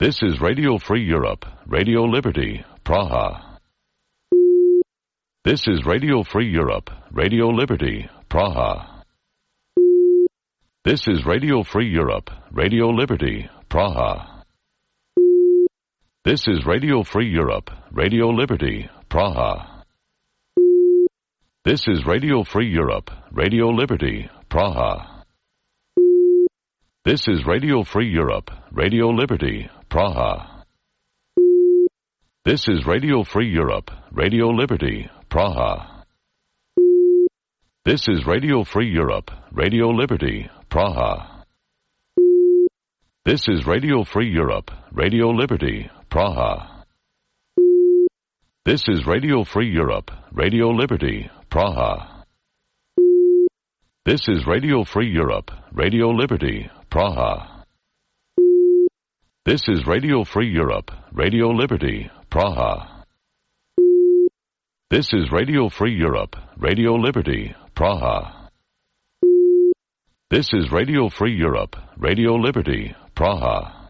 N: This is Radio Free Europe, Radio Liberty, Praha. This is Radio Free Europe, Radio Liberty, Praha. This is Radio Free Europe, Radio Liberty, Praha. This is Radio Free Europe, Radio Liberty, Praha. This is Radio Free Europe, Radio Liberty, Praha. This is Radio Free Europe, Radio Liberty, Praha. This is Radio Free Europe, Radio Liberty, Praha. This is Radio Free Europe, Radio Liberty, Praha. This is Radio Free Europe, Radio Liberty, Praha. This is Radio Free Europe, Radio Liberty, Praha. This is Radio Free Europe, Radio Liberty, Praha. This is Radio Free Europe, Radio Liberty, Praha. This is Radio Free Europe, Radio Liberty, Praha. This is Radio Free Europe, Radio Liberty, Praha.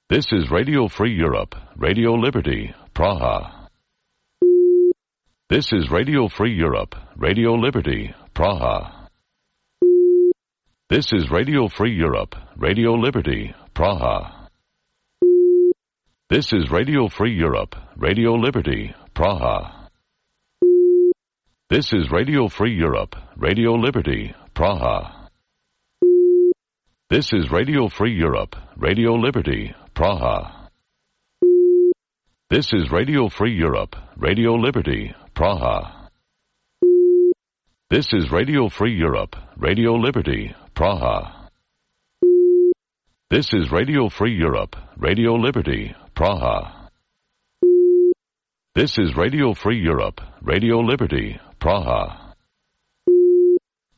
N: This is Radio Free Europe, Radio Liberty, Praha. This is Radio Free Europe, Radio Liberty, Praha. This is Radio Free Europe, Radio Liberty, Praha. This is Radio Free Europe, Radio Liberty, Praha. This is Radio Free Europe, Radio Liberty, Praha. This is Radio Free Europe, Radio Liberty, Praha. This is Radio Free Europe, Radio Liberty, Praha. This is Radio Free Europe, Radio Liberty, Praha. This is Radio Free Europe, Radio Liberty, Praha. This is Radio Free Europe, Radio Liberty, Praha.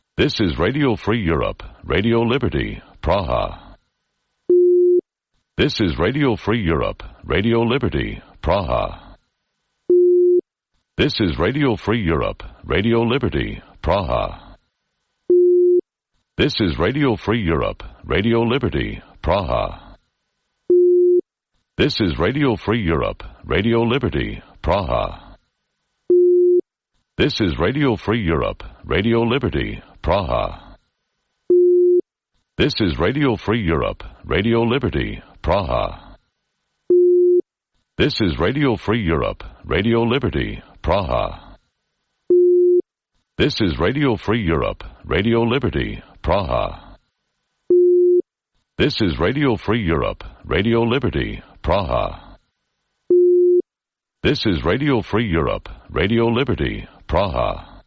N: This is Radio Free Europe, Radio Liberty, Praha. This is Radio Free Europe, Radio Liberty, Praha. This is Radio Free Europe, Radio Liberty, Praha. This is Radio Free Europe, Radio Liberty, Praha. This is Radio Free Europe, Radio Liberty, Praha. This is Radio Free Europe, Radio Liberty, Praha. This is Radio Free Europe, Radio Liberty, Praha. This is Radio Free Europe, Radio Liberty, Praha. This is Radio Free Europe, Radio Liberty, Praha. This is Radio Free Europe, Radio Liberty, Praha. This is Radio Free Europe, Radio Liberty, Praha.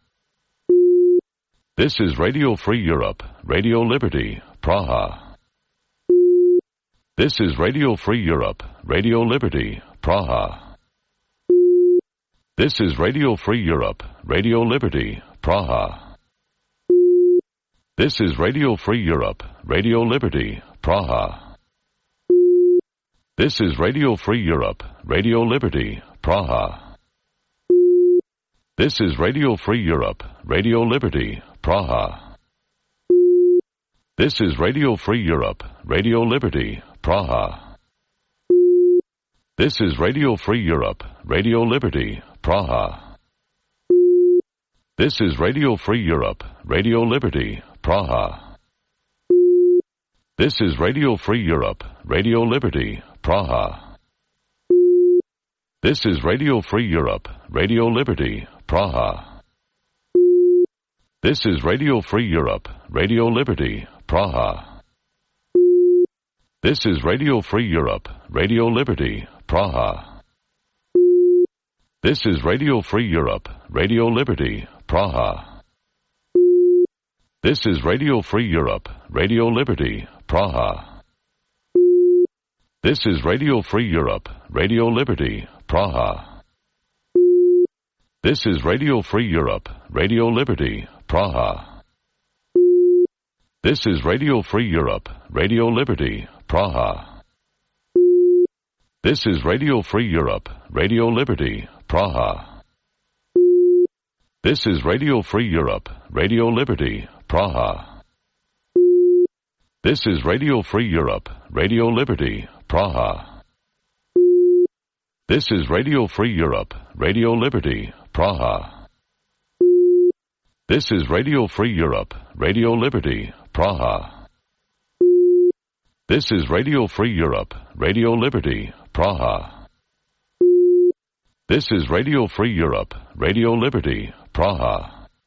N: This is Radio Free Europe, Radio Liberty, Praha. This is Radio Free Europe, Radio Liberty, Praha. This is Radio Free Europe, Radio Liberty, Praha. This is Radio Free Europe, Radio Liberty, Praha. This is Radio Free Europe, Radio Liberty, Praha. This is Radio Free Europe, Radio Liberty, Praha. This is Radio Free Europe, Radio Liberty, Praha. This is Radio Free Europe, Radio Liberty, Praha. This is Radio Free Europe, Radio Liberty, Praha. This is Radio Free Europe, Radio Liberty, Praha. This is Radio Free Europe, Radio Liberty, Praha. This is Radio Free Europe, Radio Liberty, Praha. This is Radio Free Europe, Radio Liberty, Praha. This is Radio Free Europe, Radio Liberty, Praha. This is Radio Free Europe, Radio Liberty, Praha. This is Radio Free Europe, Radio Liberty, Praha. This is Radio Free Europe, Radio Liberty, Praha. This is Radio Free Europe, Radio Liberty, Praha. This is Radio Free Europe, Radio Liberty, Praha. This is Radio Free Europe, Radio Liberty, Praha. This is Radio Free Europe, Radio Liberty, Praha. This is Radio Free Europe, Radio Liberty, Praha. This is Radio Free Europe, Radio Liberty, Praha. This is Radio Free Europe, Radio Liberty, Praha. This is Radio Free Europe, Radio Liberty, Praha.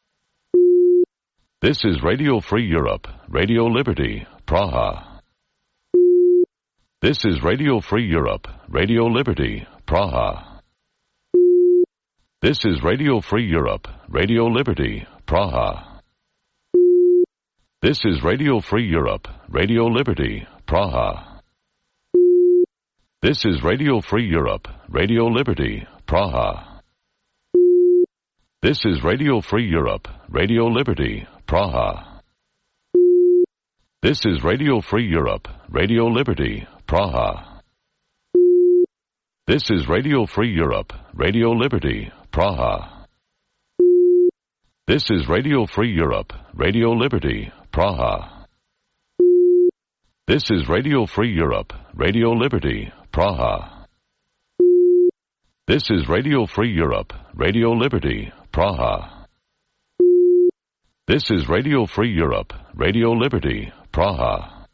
N: This is Radio Free Europe, Radio Liberty, Praha. This is Radio Free Europe, Radio Liberty, Praha. This is Radio Free Europe, Radio Liberty, Praha. This is Radio Free Europe, Radio Liberty, Praha. This is Radio Free Europe, Radio Liberty, Praha. This is Radio Free Europe, Radio Liberty, Praha. This is Radio Free Europe, Radio Liberty, Praha. This is Radio Free Europe, Radio Liberty, Praha. This is Radio Free Europe, Radio Liberty, Praha. This is Radio Free Europe, Radio Liberty, Praha. This is Radio Free Europe, Radio Liberty, Praha. This is Radio Free Europe, Radio Liberty, Praha.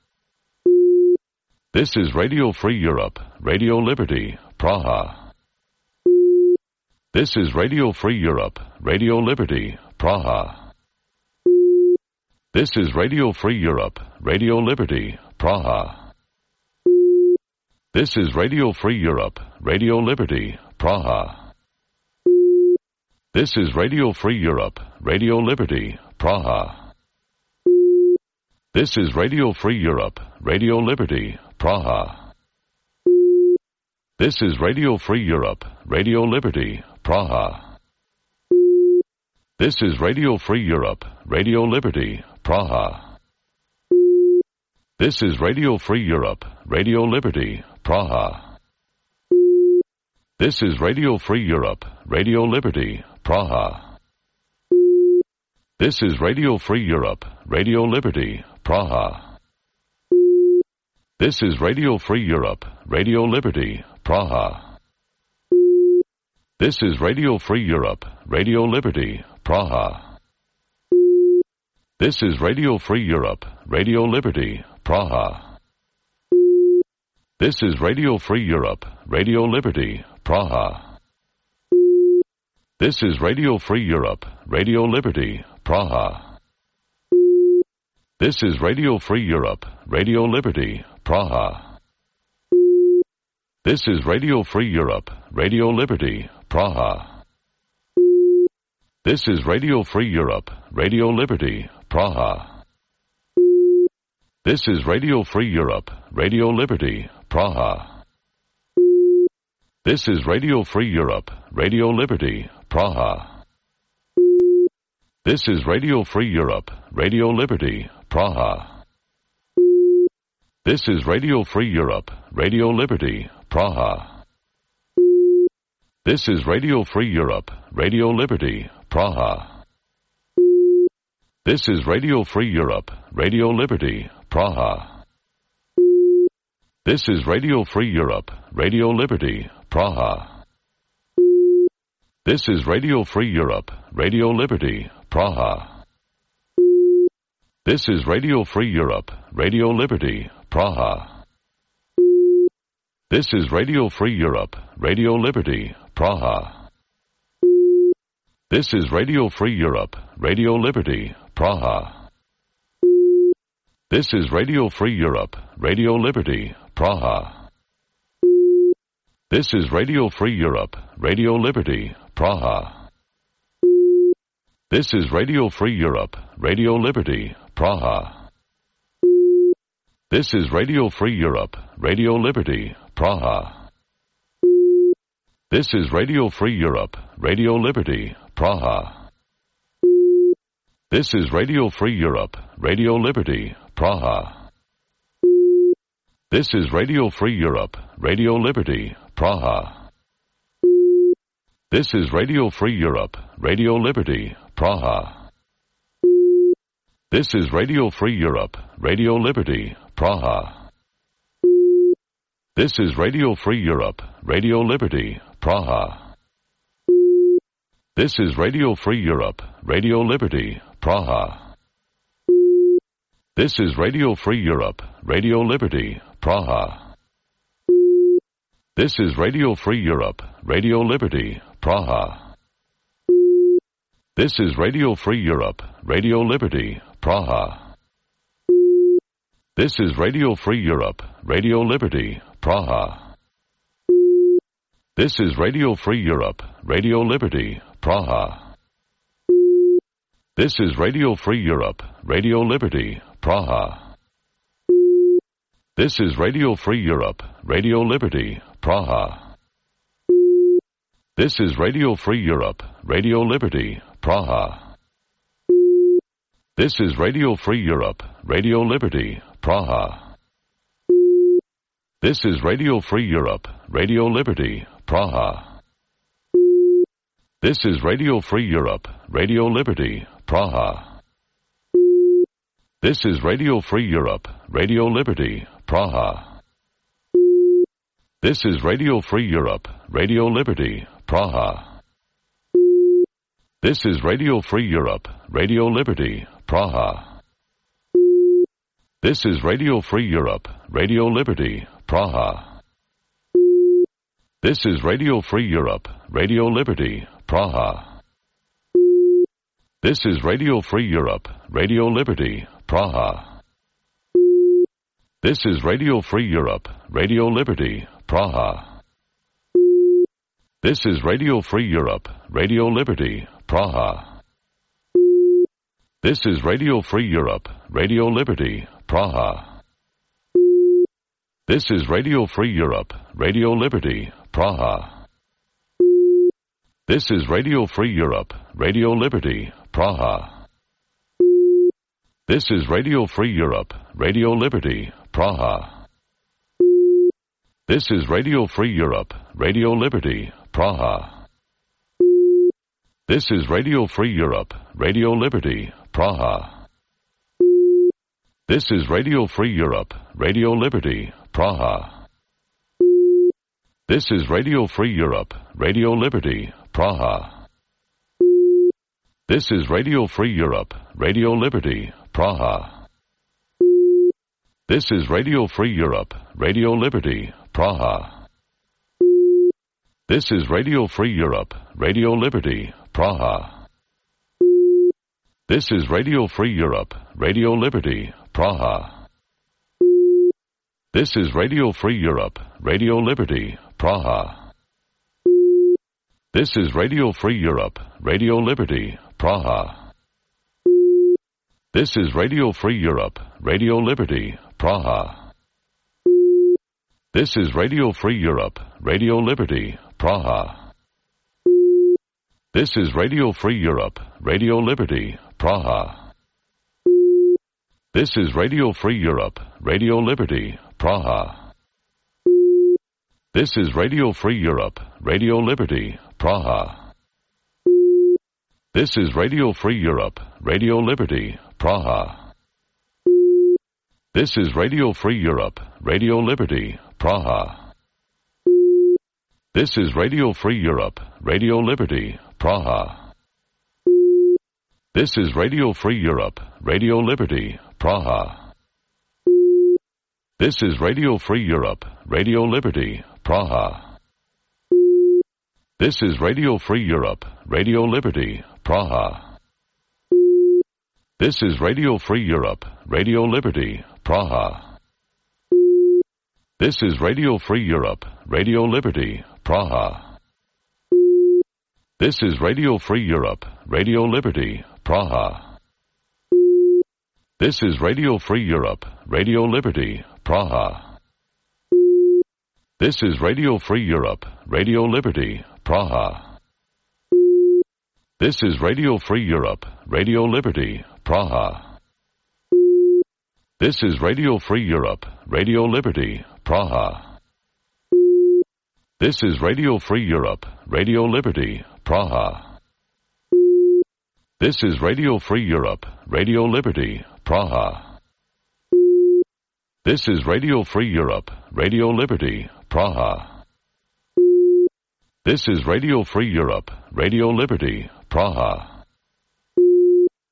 N: This is Radio Free Europe, Radio Liberty, Praha. This is Radio Free Europe, Radio Liberty, Praha. This is Radio Free Europe, Radio Liberty, Praha. This is Radio Free Europe, Radio Liberty, Praha. This is Radio Free Europe, Radio Liberty, Praha. This is Radio Free Europe, Radio Liberty, Praha. This is Radio Free Europe, Radio Liberty, Praha. This is Radio Free Europe, Radio Liberty, Praha. This is Radio Free Europe, Radio Liberty, Praha. This is Radio Free Europe, Radio Liberty, Praha. This is Radio Free Europe, Radio Liberty, Praha. This is Radio Free Europe, Radio Liberty, Praha. This is Radio Free Europe, Radio Liberty, Praha. This is Radio Free Europe, Radio Liberty, Praha. This is Radio Free Europe, Radio Liberty, Praha. This is Radio Free Europe, Radio Liberty, Praha. This is Radio Free Europe, Radio Liberty, Praha. This is Radio Free Europe, Radio Liberty, Praha. This is Radio Free Europe, Radio Liberty, Praha. This is Radio Free Europe, Radio Liberty, Praha. This is Radio Free Europe, Radio Liberty, Praha. This is Radio Free Europe, Radio Liberty, Praha. This is Radio Free Europe, Radio Liberty, Praha. This is Radio Free Europe, Radio Liberty, Praha. This is Radio Free Europe, Radio Liberty, Praha. This is Radio Free Europe, Radio Liberty, Praha. This is Radio Free Europe, Radio Liberty, Praha. This is Radio Free Europe, Radio Liberty, Praha. This is Radio Free Europe, Radio Liberty, Praha. This is Radio Free Europe, Radio Liberty, Praha. This is Radio Free Europe, Radio Liberty, Praha. This is Radio Free Europe, Radio Liberty, Praha. This is Radio Free Europe, Radio Liberty, Praha. This is Radio Free Europe, Radio Liberty, Praha. This is Radio Free Europe, Radio Liberty, Praha. This is Radio Free Europe, Radio Liberty, Praha. This is Radio Free Europe, Radio Liberty, Praha. This is Radio Free Europe, Radio Liberty, Praha. This is Radio Free Europe, Radio Liberty, Praha. This is Radio Free Europe, Radio Liberty, Praha. This is Radio Free Europe, Radio Liberty, Praha. This is Radio Free Europe, Radio Liberty, Praha. This is Radio Free Europe, Radio Liberty, Praha. This is Radio Free Europe, Radio Liberty, Praha. This is Radio Free Europe, Radio Liberty, Praha. This is Radio Free Europe, Radio Liberty, Praha. This is Radio Free Europe, Radio Liberty, Praha. This is Radio Free Europe, Radio Liberty, Praha. This is Radio Free Europe, Radio Liberty, Praha. This is Radio Free Europe, Radio Liberty, Praha. This is Radio Free Europe, Radio Liberty, Praha. This is Radio Free Europe, Radio Liberty, Praha. This is Radio Free Europe, Radio Liberty, Praha. This is Radio Free Europe, Radio Liberty, Praha. This is Radio Free Europe, Radio Liberty, Praha. This is Radio Free Europe, Radio Liberty, Praha. This is Radio Free Europe, Radio Liberty, Praha. This is Radio Free Europe, Radio Liberty, Praha. This is Radio Free Europe, Radio Liberty, Praha. This is Radio Free Europe, Radio Liberty, Praha. This is Radio Free Europe, Radio Liberty, Praha. This is Radio Free Europe, Radio Liberty, Praha. This is Radio Free Europe, Radio Liberty, Praha. This is Radio Free Europe, Radio Liberty, Praha. This is Radio Free Europe, Radio Liberty, Praha. This is Radio Free Europe, Radio Liberty, Praha. This is Radio Free Europe, Radio Liberty, Praha. This is Radio Free Europe, Radio Liberty, Praha. This is Radio Free Europe, Radio Liberty, Praha. This is Radio Free Europe, Radio Liberty, Praha. This is Radio Free Europe, Radio Liberty, Praha. This is Radio Free Europe, Radio Liberty, Praha. This is Radio Free Europe, Radio Liberty, Praha. This is Radio Free Europe, Radio Liberty, Praha. This is Radio Free Europe, Radio Liberty, Praha. This is Radio Free Europe, Radio Liberty, Praha. This is Radio Free Europe, Radio Liberty, Praha. This is Radio Free Europe, Radio Liberty, Praha. This is Radio Free Europe, Radio Liberty, Praha. This is Radio Free Europe, Radio Liberty, Praha. This is Radio Free Europe, Radio Liberty, Praha. This is Radio Free Europe, Radio Liberty, Praha. This is Radio Free Europe, Radio Liberty, Praha. This is Radio Free Europe, Radio Liberty, Praha. This is Radio Free Europe, Radio Liberty, Praha. This is Radio Free Europe, Radio Liberty, Praha. This is Radio Free Europe, Radio Liberty, Praha. This is Radio Free Europe, Radio Liberty, Praha. This is Radio Free Europe, Radio Liberty, Praha. This is Radio Free Europe, Radio Liberty, Praha. This is Radio Free Europe, Radio Liberty, Praha. This is Radio Free Europe, Radio Liberty, Praha. This is Radio Free Europe, Radio Liberty, Praha. This is Radio Free Europe, Radio Liberty, Praha. This is Radio Free Europe, Radio Liberty, Praha.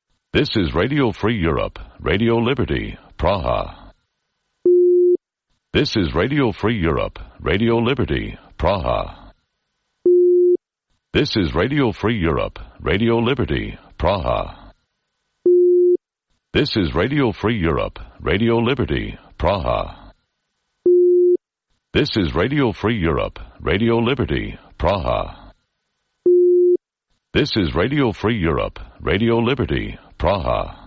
N: This is Radio Free Europe, Radio Liberty, Praha. This is Radio Free Europe, Radio Liberty, Praha. This is Radio Free Europe, Radio Liberty, Praha. This is Radio Free Europe, Radio Liberty, Praha. This is Radio Free Europe, Radio Liberty, Praha. This is Radio Free Europe, Radio Liberty, Praha. This is Radio Free Europe, Radio Liberty, Praha.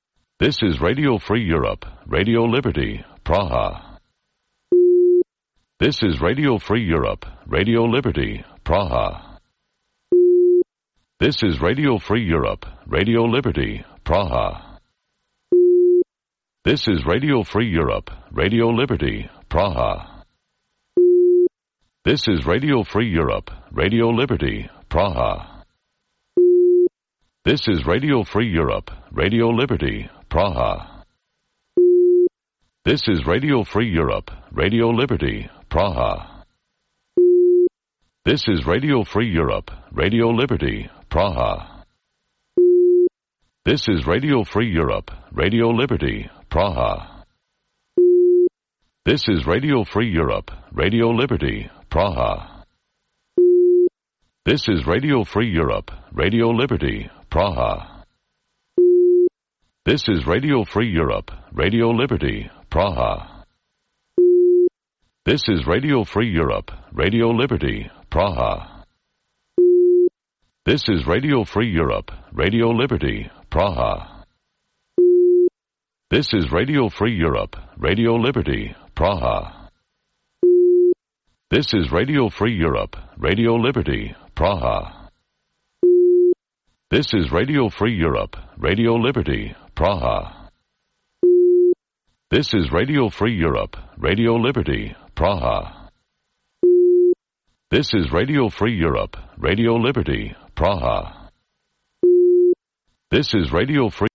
N: This is Radio Free Europe, Radio Liberty, Praha. This is Radio Free Europe, Radio Liberty, Praha. This is Radio Free Europe, Radio Liberty, Praha. This is Radio Free Europe, Radio Liberty, Praha. This is Radio Free Europe, Radio Liberty, Praha. This is Radio Free Europe, Radio Liberty, Praha. This is Radio Free Europe, Radio Liberty, Praha. This is Radio Free Europe, Radio Liberty, Praha. This is Radio Free Europe, Radio Liberty, Praha. This is Radio Free Europe, Radio Liberty, Praha. This is Radio Free Europe, Radio Liberty, Praha. This is Radio Free Europe, Radio Liberty, Praha. This is Radio Free Europe, Radio Liberty, Praha. This is Radio Free Europe, Radio Liberty, Praha. This is Radio Free Europe, Radio Liberty, Praha. This is Radio Free Europe, Radio Liberty, Praha. This is Radio Free Europe, Radio Liberty, Praha. This is Radio Free Europe, Radio Liberty, Praha. This is Radio Free Europe, Radio Liberty, Praha. This is Radio Free